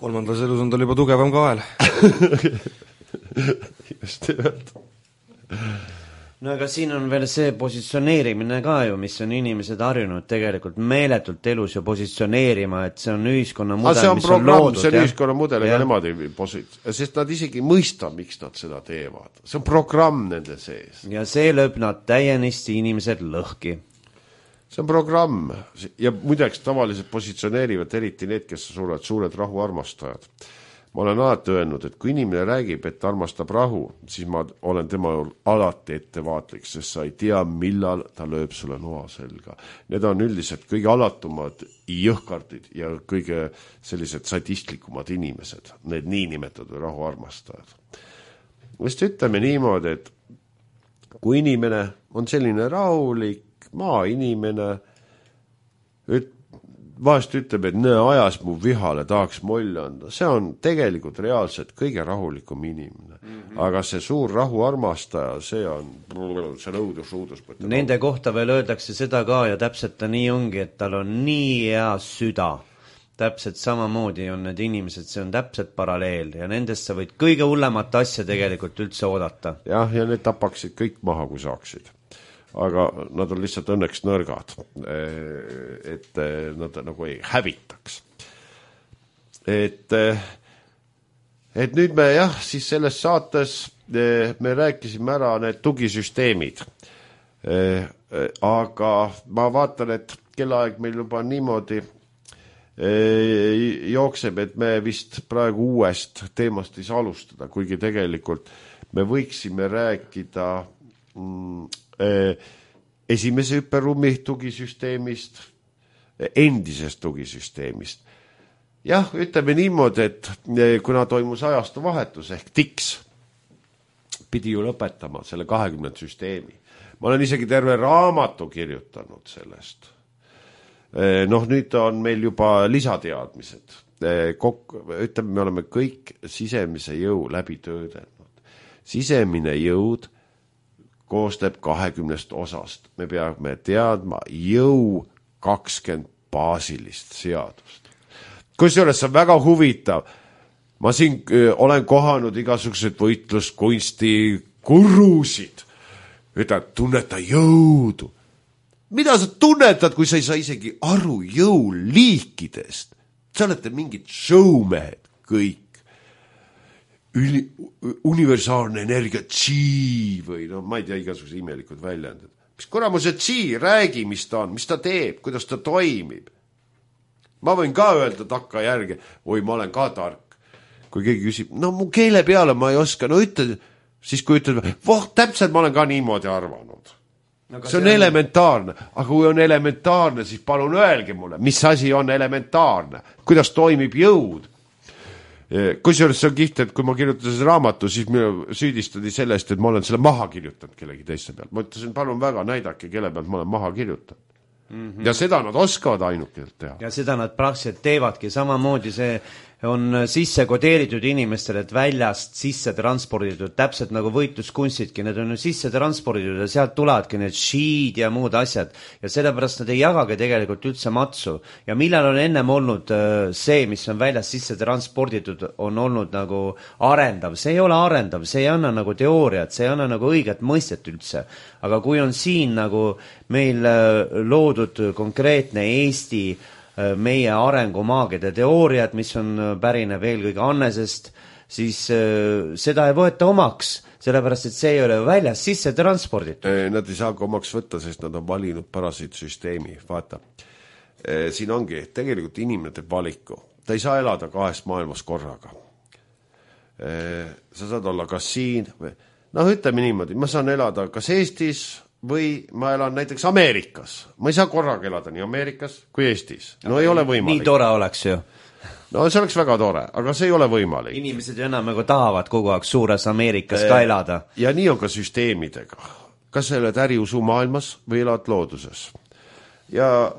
Kolmandas elus on tal juba tugevam kael. Just nimelt. No aga siin on veel see positsioneerimine ka ju, mis on inimesed harjunud tegelikult meeletult elus ju positsioneerima, et see on ühiskonna mudel, see on mis programm, on loodud. See on ühiskonna mudel, ega nemad ei sest nad isegi ei mõista, miks nad seda teevad. See on programm nende sees. Ja see lööb nad täienisti inimesed lõhki. See on programm ja muideks tavaliselt positsioneerivad eriti need, kes suured rahuarmastajad. Ma olen alati öelnud, et kui inimene räägib, et armastab rahu, siis ma olen tema alati ettevaatlik, sest sa ei tea, millal ta lööb sulle noa selga. Need on üldiselt kõige alatumad jõhkardid ja kõige sellised sadistlikumad inimesed, need niinimetatud rahuarmastajad. Vist ütleme niimoodi, et kui inimene on selline rahulik maainimene, vahest ütleb, et ajas mu vihale, tahaks molli anda. See on tegelikult reaalselt kõige rahulikum inimene. Aga see suur rahuarmastaja, see õudus. Nende kohta veel öeldakse seda ka ja täpselt ta nii ongi, et tal on nii hea süda. Täpselt samamoodi on need inimesed, see on täpselt paralleel ja nendest sa võid kõige hullemat asja tegelikult üldse oodata. Jah, ja need tapaksid kõik maha, kui saaksid. Aga nad on lihtsalt õnneks nõrgad, et nad nagu ei hävitaks. et nüüd me siis selles saates me rääkisime ära need tugisüsteemid. Aga ma vaatan, et kellaaeg meil juba niimoodi jookseb, et me vist praegu uuest teemast ei saa alustada, kuigi tegelikult me võiksime rääkida esimese hüpperuumi tugisüsteemist, endisest tugisüsteemist. Jah, ütleme niimoodi, et kuna toimus ajastu vahetus ehk TIKS pidi ju lõpetama selle 20 süsteemi. Ma olen isegi terve raamatu kirjutanud sellest. Nüüd on meil juba lisateadmised. Ütleme, me oleme kõik sisemise jõu läbi töödelnud. Sisemine jõud koosneb 20 osast. Me peame teadma jõu 20 baasilist seadust. Kusjuures see on väga huvitav. Ma siin olen kohanud igasugused võitluskunsti gurusid. Ütled, tunneta jõudu. Mida sa tunnetad, kui sa ei saa isegi aru jõuliikidest? Sa olete mingid showmehed kõik. Universaalne energia chi või ma ei tea, igasugused imelikud väljendid. Mis kuramuse chi, räägi, mis ta on, mis ta teeb, kuidas ta toimib. Ma võin ka öelda takka järgi, oi, ma olen ka tark. Kui keegi küsib, mu keele peale ma ei oska, ütle, siis kui ütled, täpselt ma olen ka niimoodi arvanud. See on elementaarne, aga kui on elementaarne, siis palun öelge mulle, mis asi on elementaarne, kuidas toimib jõud. Kusjuures see on kiht, et kui ma kirjutasin raamatu, siis minu süüdistati sellest, et ma olen selle maha kirjutanud kellegi teiste pealt. Ma ütlesin, palun väga, näidake, kelle pealt ma olen maha kirjutanud. Ja seda nad oskavad ainukelt teha. Ja seda nad praktiliselt teevadki, samamoodi see on sisse kodeeritud inimestele, et väljast sisse transporditud, täpselt nagu võitluskunstidki, need on ju sisse transporditud ja sealt tulevadki need šiid ja muud asjad ja sellepärast nad ei jagagi tegelikult üldse matsu ja millal on ennem olnud see, mis on väljast sisse transporditud, on olnud nagu arendav, see ei ole arendav, see ei anna nagu teooriat, see ei anna nagu õiget mõistet üldse, aga kui on siin nagu meil loodud konkreetne Eesti meie arengumaagide teooriad, mis on pärineb eelkõige Annesest, siis seda ei võeta omaks, sellepärast et see ei ole väljas sisse transporditud. Nad ei saa omaks võtta, sest nad on valinud parasiitsüsteemi. Vaata, siin ongi, tegelikult inimene teeb valiku. Ta ei saa elada 2 maailmas korraga. Sa saad olla kas siin, ütleme niimoodi, ma saan elada kas Eestis, või ma elan näiteks Ameerikas. Ma ei saa korraga elada nii Ameerikas kui Eestis. Ei ole võimalik. Nii tore oleks ju. See oleks väga tore, aga see ei ole võimalik. Inimesed ju enam nagu tahavad kogu aeg suures Ameerikas ka elada. Ja nii on ka süsteemidega. Kas sa elad äriusu maailmas või elad looduses? Ja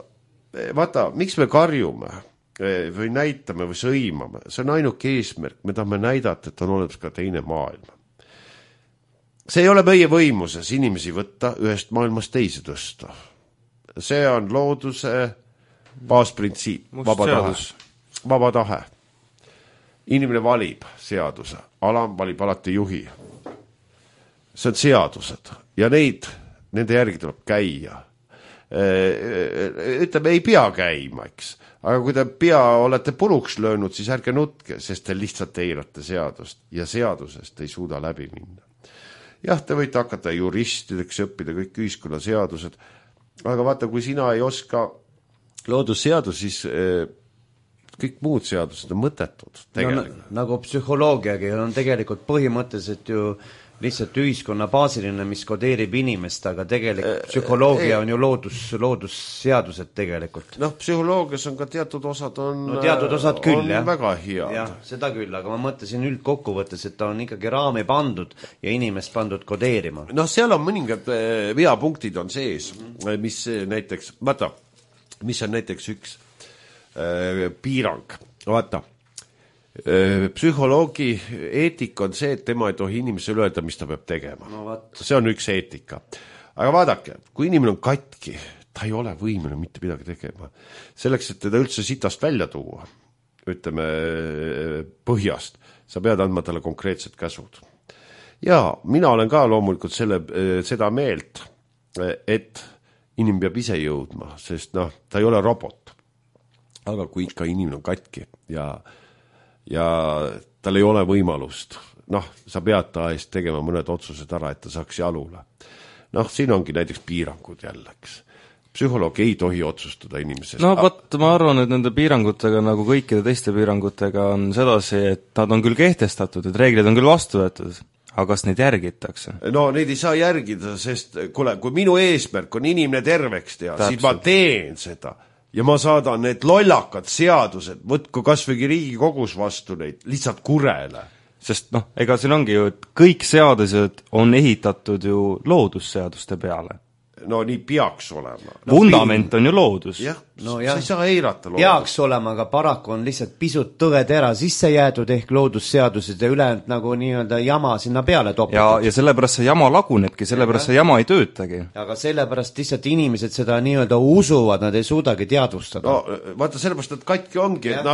vaata, miks me karjume või näitame või sõimame? See on ainuke eesmärk. Me tahame näidata, et on olemas ka teine maailm. See ei ole meie võimuses inimesi võtta ühest maailmast teise tõsta. See on looduse baasprintsiip, vaba tahe. Inimene valib seaduse, alam valib alati juhi. See on seadused ja nende järgi tuleb käia. Ütleme, ei pea käima, eks. Aga kui te olete puruks löönud, siis ärge nutke, sest te lihtsalt eirate seadust ja seadusest ei suuda läbi minna. Jah, te võite hakata juristideks õppida kõik ühiskonnaseadused, aga vaata, kui sina ei oska loodusseadus, siis kõik muud seadused on mõttetud. Nagu psühholoogiagi on tegelikult põhimõtteliselt ju lihtsalt ühiskonna baasiline, mis kodeerib inimest, aga tegelikult psühholoogia on ju loodusseadused tegelikult. Psühholoogias on ka teatud osad teatud osad küll, on väga head. Jah, seda küll, aga ma mõtlesin üldkokkuvõttes, et ta on ikkagi raami pandud ja inimest pandud kodeerima. Seal on mõningad veapunktid on sees, mis näiteks, vaata, mis on näiteks üks piirang, vaata, psühholoogi eetika on see, et tema ei tohi inimesele öelda, mis ta peab tegema. See on üks eetika. Aga vaadake, kui inimene on katki, ta ei ole võimeline mitte midagi tegema. Selleks, et teda üldse sitast välja tuua, ütleme põhjast, sa pead andma talle konkreetsed käsud. Ja mina olen ka loomulikult seda meelt, et inimene peab ise jõudma, sest ta ei ole robot. Aga kui ikka inimene on katki ja ja tal ei ole võimalust. Sa pead ta eest tegema mõned otsused ära, et ta saaks jalule. Siin ongi näiteks piirangud jälleks. Psühholoog ei tohi otsustada inimesest. Ma arvan, et nende piirangutega, nagu kõikide teiste piirangutega, on sedasi, et nad on küll kehtestatud, et reeglid on küll vastu võetud, aga kas neid järgitakse? Neid ei saa järgida, sest kui minu eesmärk on inimene terveks teha, siis ma teen seda. Ja ma saadan need lollakad seadused, võtku kasvõi Riigikogus vastu neid, lihtsalt kurele. Sest ega siin ongi ju, et kõik seadused on ehitatud ju loodusseaduste peale. Nii peaks olema. Vundament on ju loodus. Jah, sa ei saa eirata loodus. Peaks olema, aga paraku on lihtsalt pisut tõetera sisse jäädud ehk loodusseadused ja ülejäänud nagu nii-öelda jama sinna peale topitud. Ja sellepärast see jama lagunebki, sellepärast see jama ei töötagi. Aga sellepärast lihtsalt inimesed seda nii-öelda usuvad, nad ei suudagi teadvustada. Vaata, sellepärast nad katki ongi, et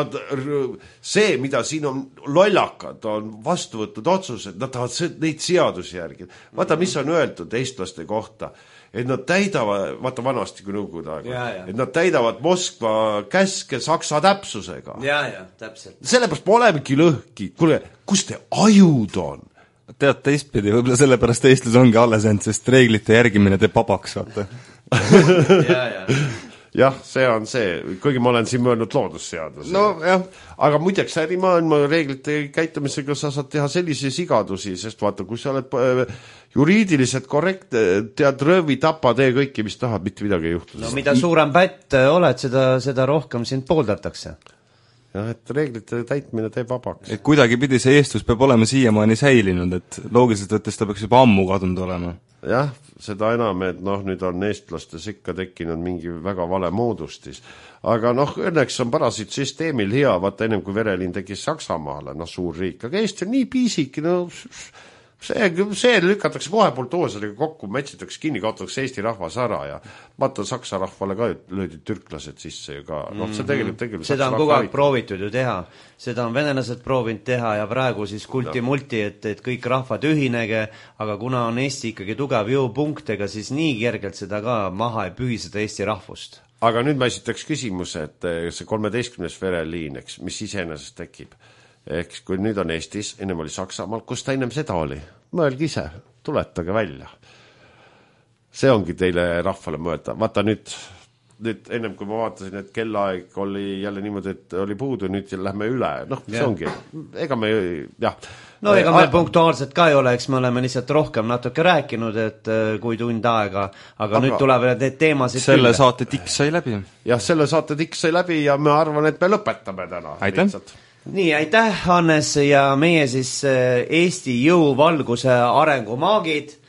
see, mida siin on lollakad, on vastu võtnud otsused, nad tahavad neid seadusi järgi. Vaata, mis on öeldud eestlaste kohta, et nad täidavad, vaata vanasti kui nõukogude aega, et nad täidavad Moskva käske saksa täpsusega. Ja, täpselt. Sellepärast me olemegi lõhki. Kuule, kus te ajud on? Tead, teistpidi, võib-olla sellepärast eestlus ongi alles end, sest reeglite järgimine teeb vabaks, vaata. Jah, see on see, kuigi ma olen siin mõelnud loodusseaduse. Aga muideks ärimaailma reeglite käitumisega sa saad teha sellise sigadusi, sest vaata, kui sa oled juriidiliselt korrektne, tead röövi, tapa, tee kõiki, mis tahad, mitte midagi ei juhtu. Mida suurem pätt oled, seda rohkem sind pooldatakse. Jah, et reeglite täitmine teeb vabaks. Et kuidagi pidi see eestlus peab olema siiamaani säilinud, et loogiliselt võttes ta peaks juba ammu kadunud olema. Jah, seda enam, et nüüd on eestlastes ikka tekkinud mingi väga vale moodustis. Aga õnneks on parasiitsüsteemil hea, vaata ennem kui vereliin tekkis Saksamaale, suur riik, aga Eesti on nii piisik, see lükatakse kohe buldooseriga kokku, metsitakse kinni, kaotatakse Eesti rahvas ära ja vaata Saksa rahvale ka löödi türklased sisse ka. See tegelikult seda on kogu aeg proovitud ju teha. Seda on venelased proovinud teha ja praegu siis kulti-multi, et kõik rahvad ühinege, aga kuna on Eesti ikkagi tugev jõupunktega, siis nii kergelt seda ka maha ei pühi seda Eesti rahvust. Aga nüüd ma esitaks küsimuse, et see 13. vereliin, mis iseenesest tekib. Ehk kui nüüd on Eestis, ennem oli Saksamaal, kus ta ennem seda oli? Mõelge ise, tuletage välja. See ongi teile rahvale mõelda. Vaata nüüd ennem kui ma vaatasin, et kellaaeg oli jälle niimoodi, et oli puudu, nüüd lähme üle. See ongi. Ega me, jah. Ega meil punktuaalselt ka ei ole, eks me oleme lihtsalt rohkem natuke rääkinud, et kui tund aega, aga nüüd tulevad need teemasid selle saate tiks sai läbi. Jah, selle saate tiks sai läbi ja ma arvan, et me lõpetame täna. Aitäh! Nii, aitäh, Hannes, ja meie siis Eesti jõuvalguse arengumaagid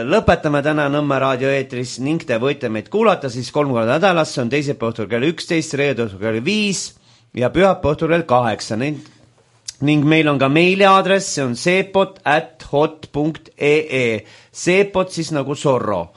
lõpetame täna Nõmme raadio eetris ning te võite meid kuulata siis 3 korda nädalas, see on teisipäeva õhtul kell 11, reede õhtul kell 5 ja pühapäeva õhtul kell 8 ning meil on ka meiliaadress, see on seepot@hot.ee, seepot siis nagu Zorro.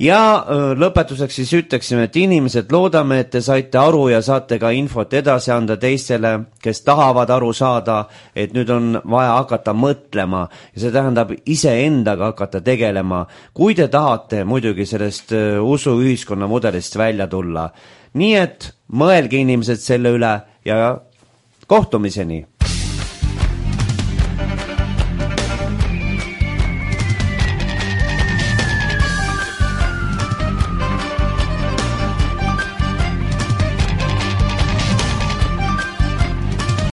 Ja lõpetuseks siis ütleksime, et inimesed loodame, et te saite aru ja saate ka infot edasi anda teistele, kes tahavad aru saada, et nüüd on vaja hakata mõtlema ja see tähendab iseendaga hakata tegelema, kui te tahate muidugi sellest usuühiskonna mudelist välja tulla. Nii et mõelge inimesed selle üle ja kohtumiseni!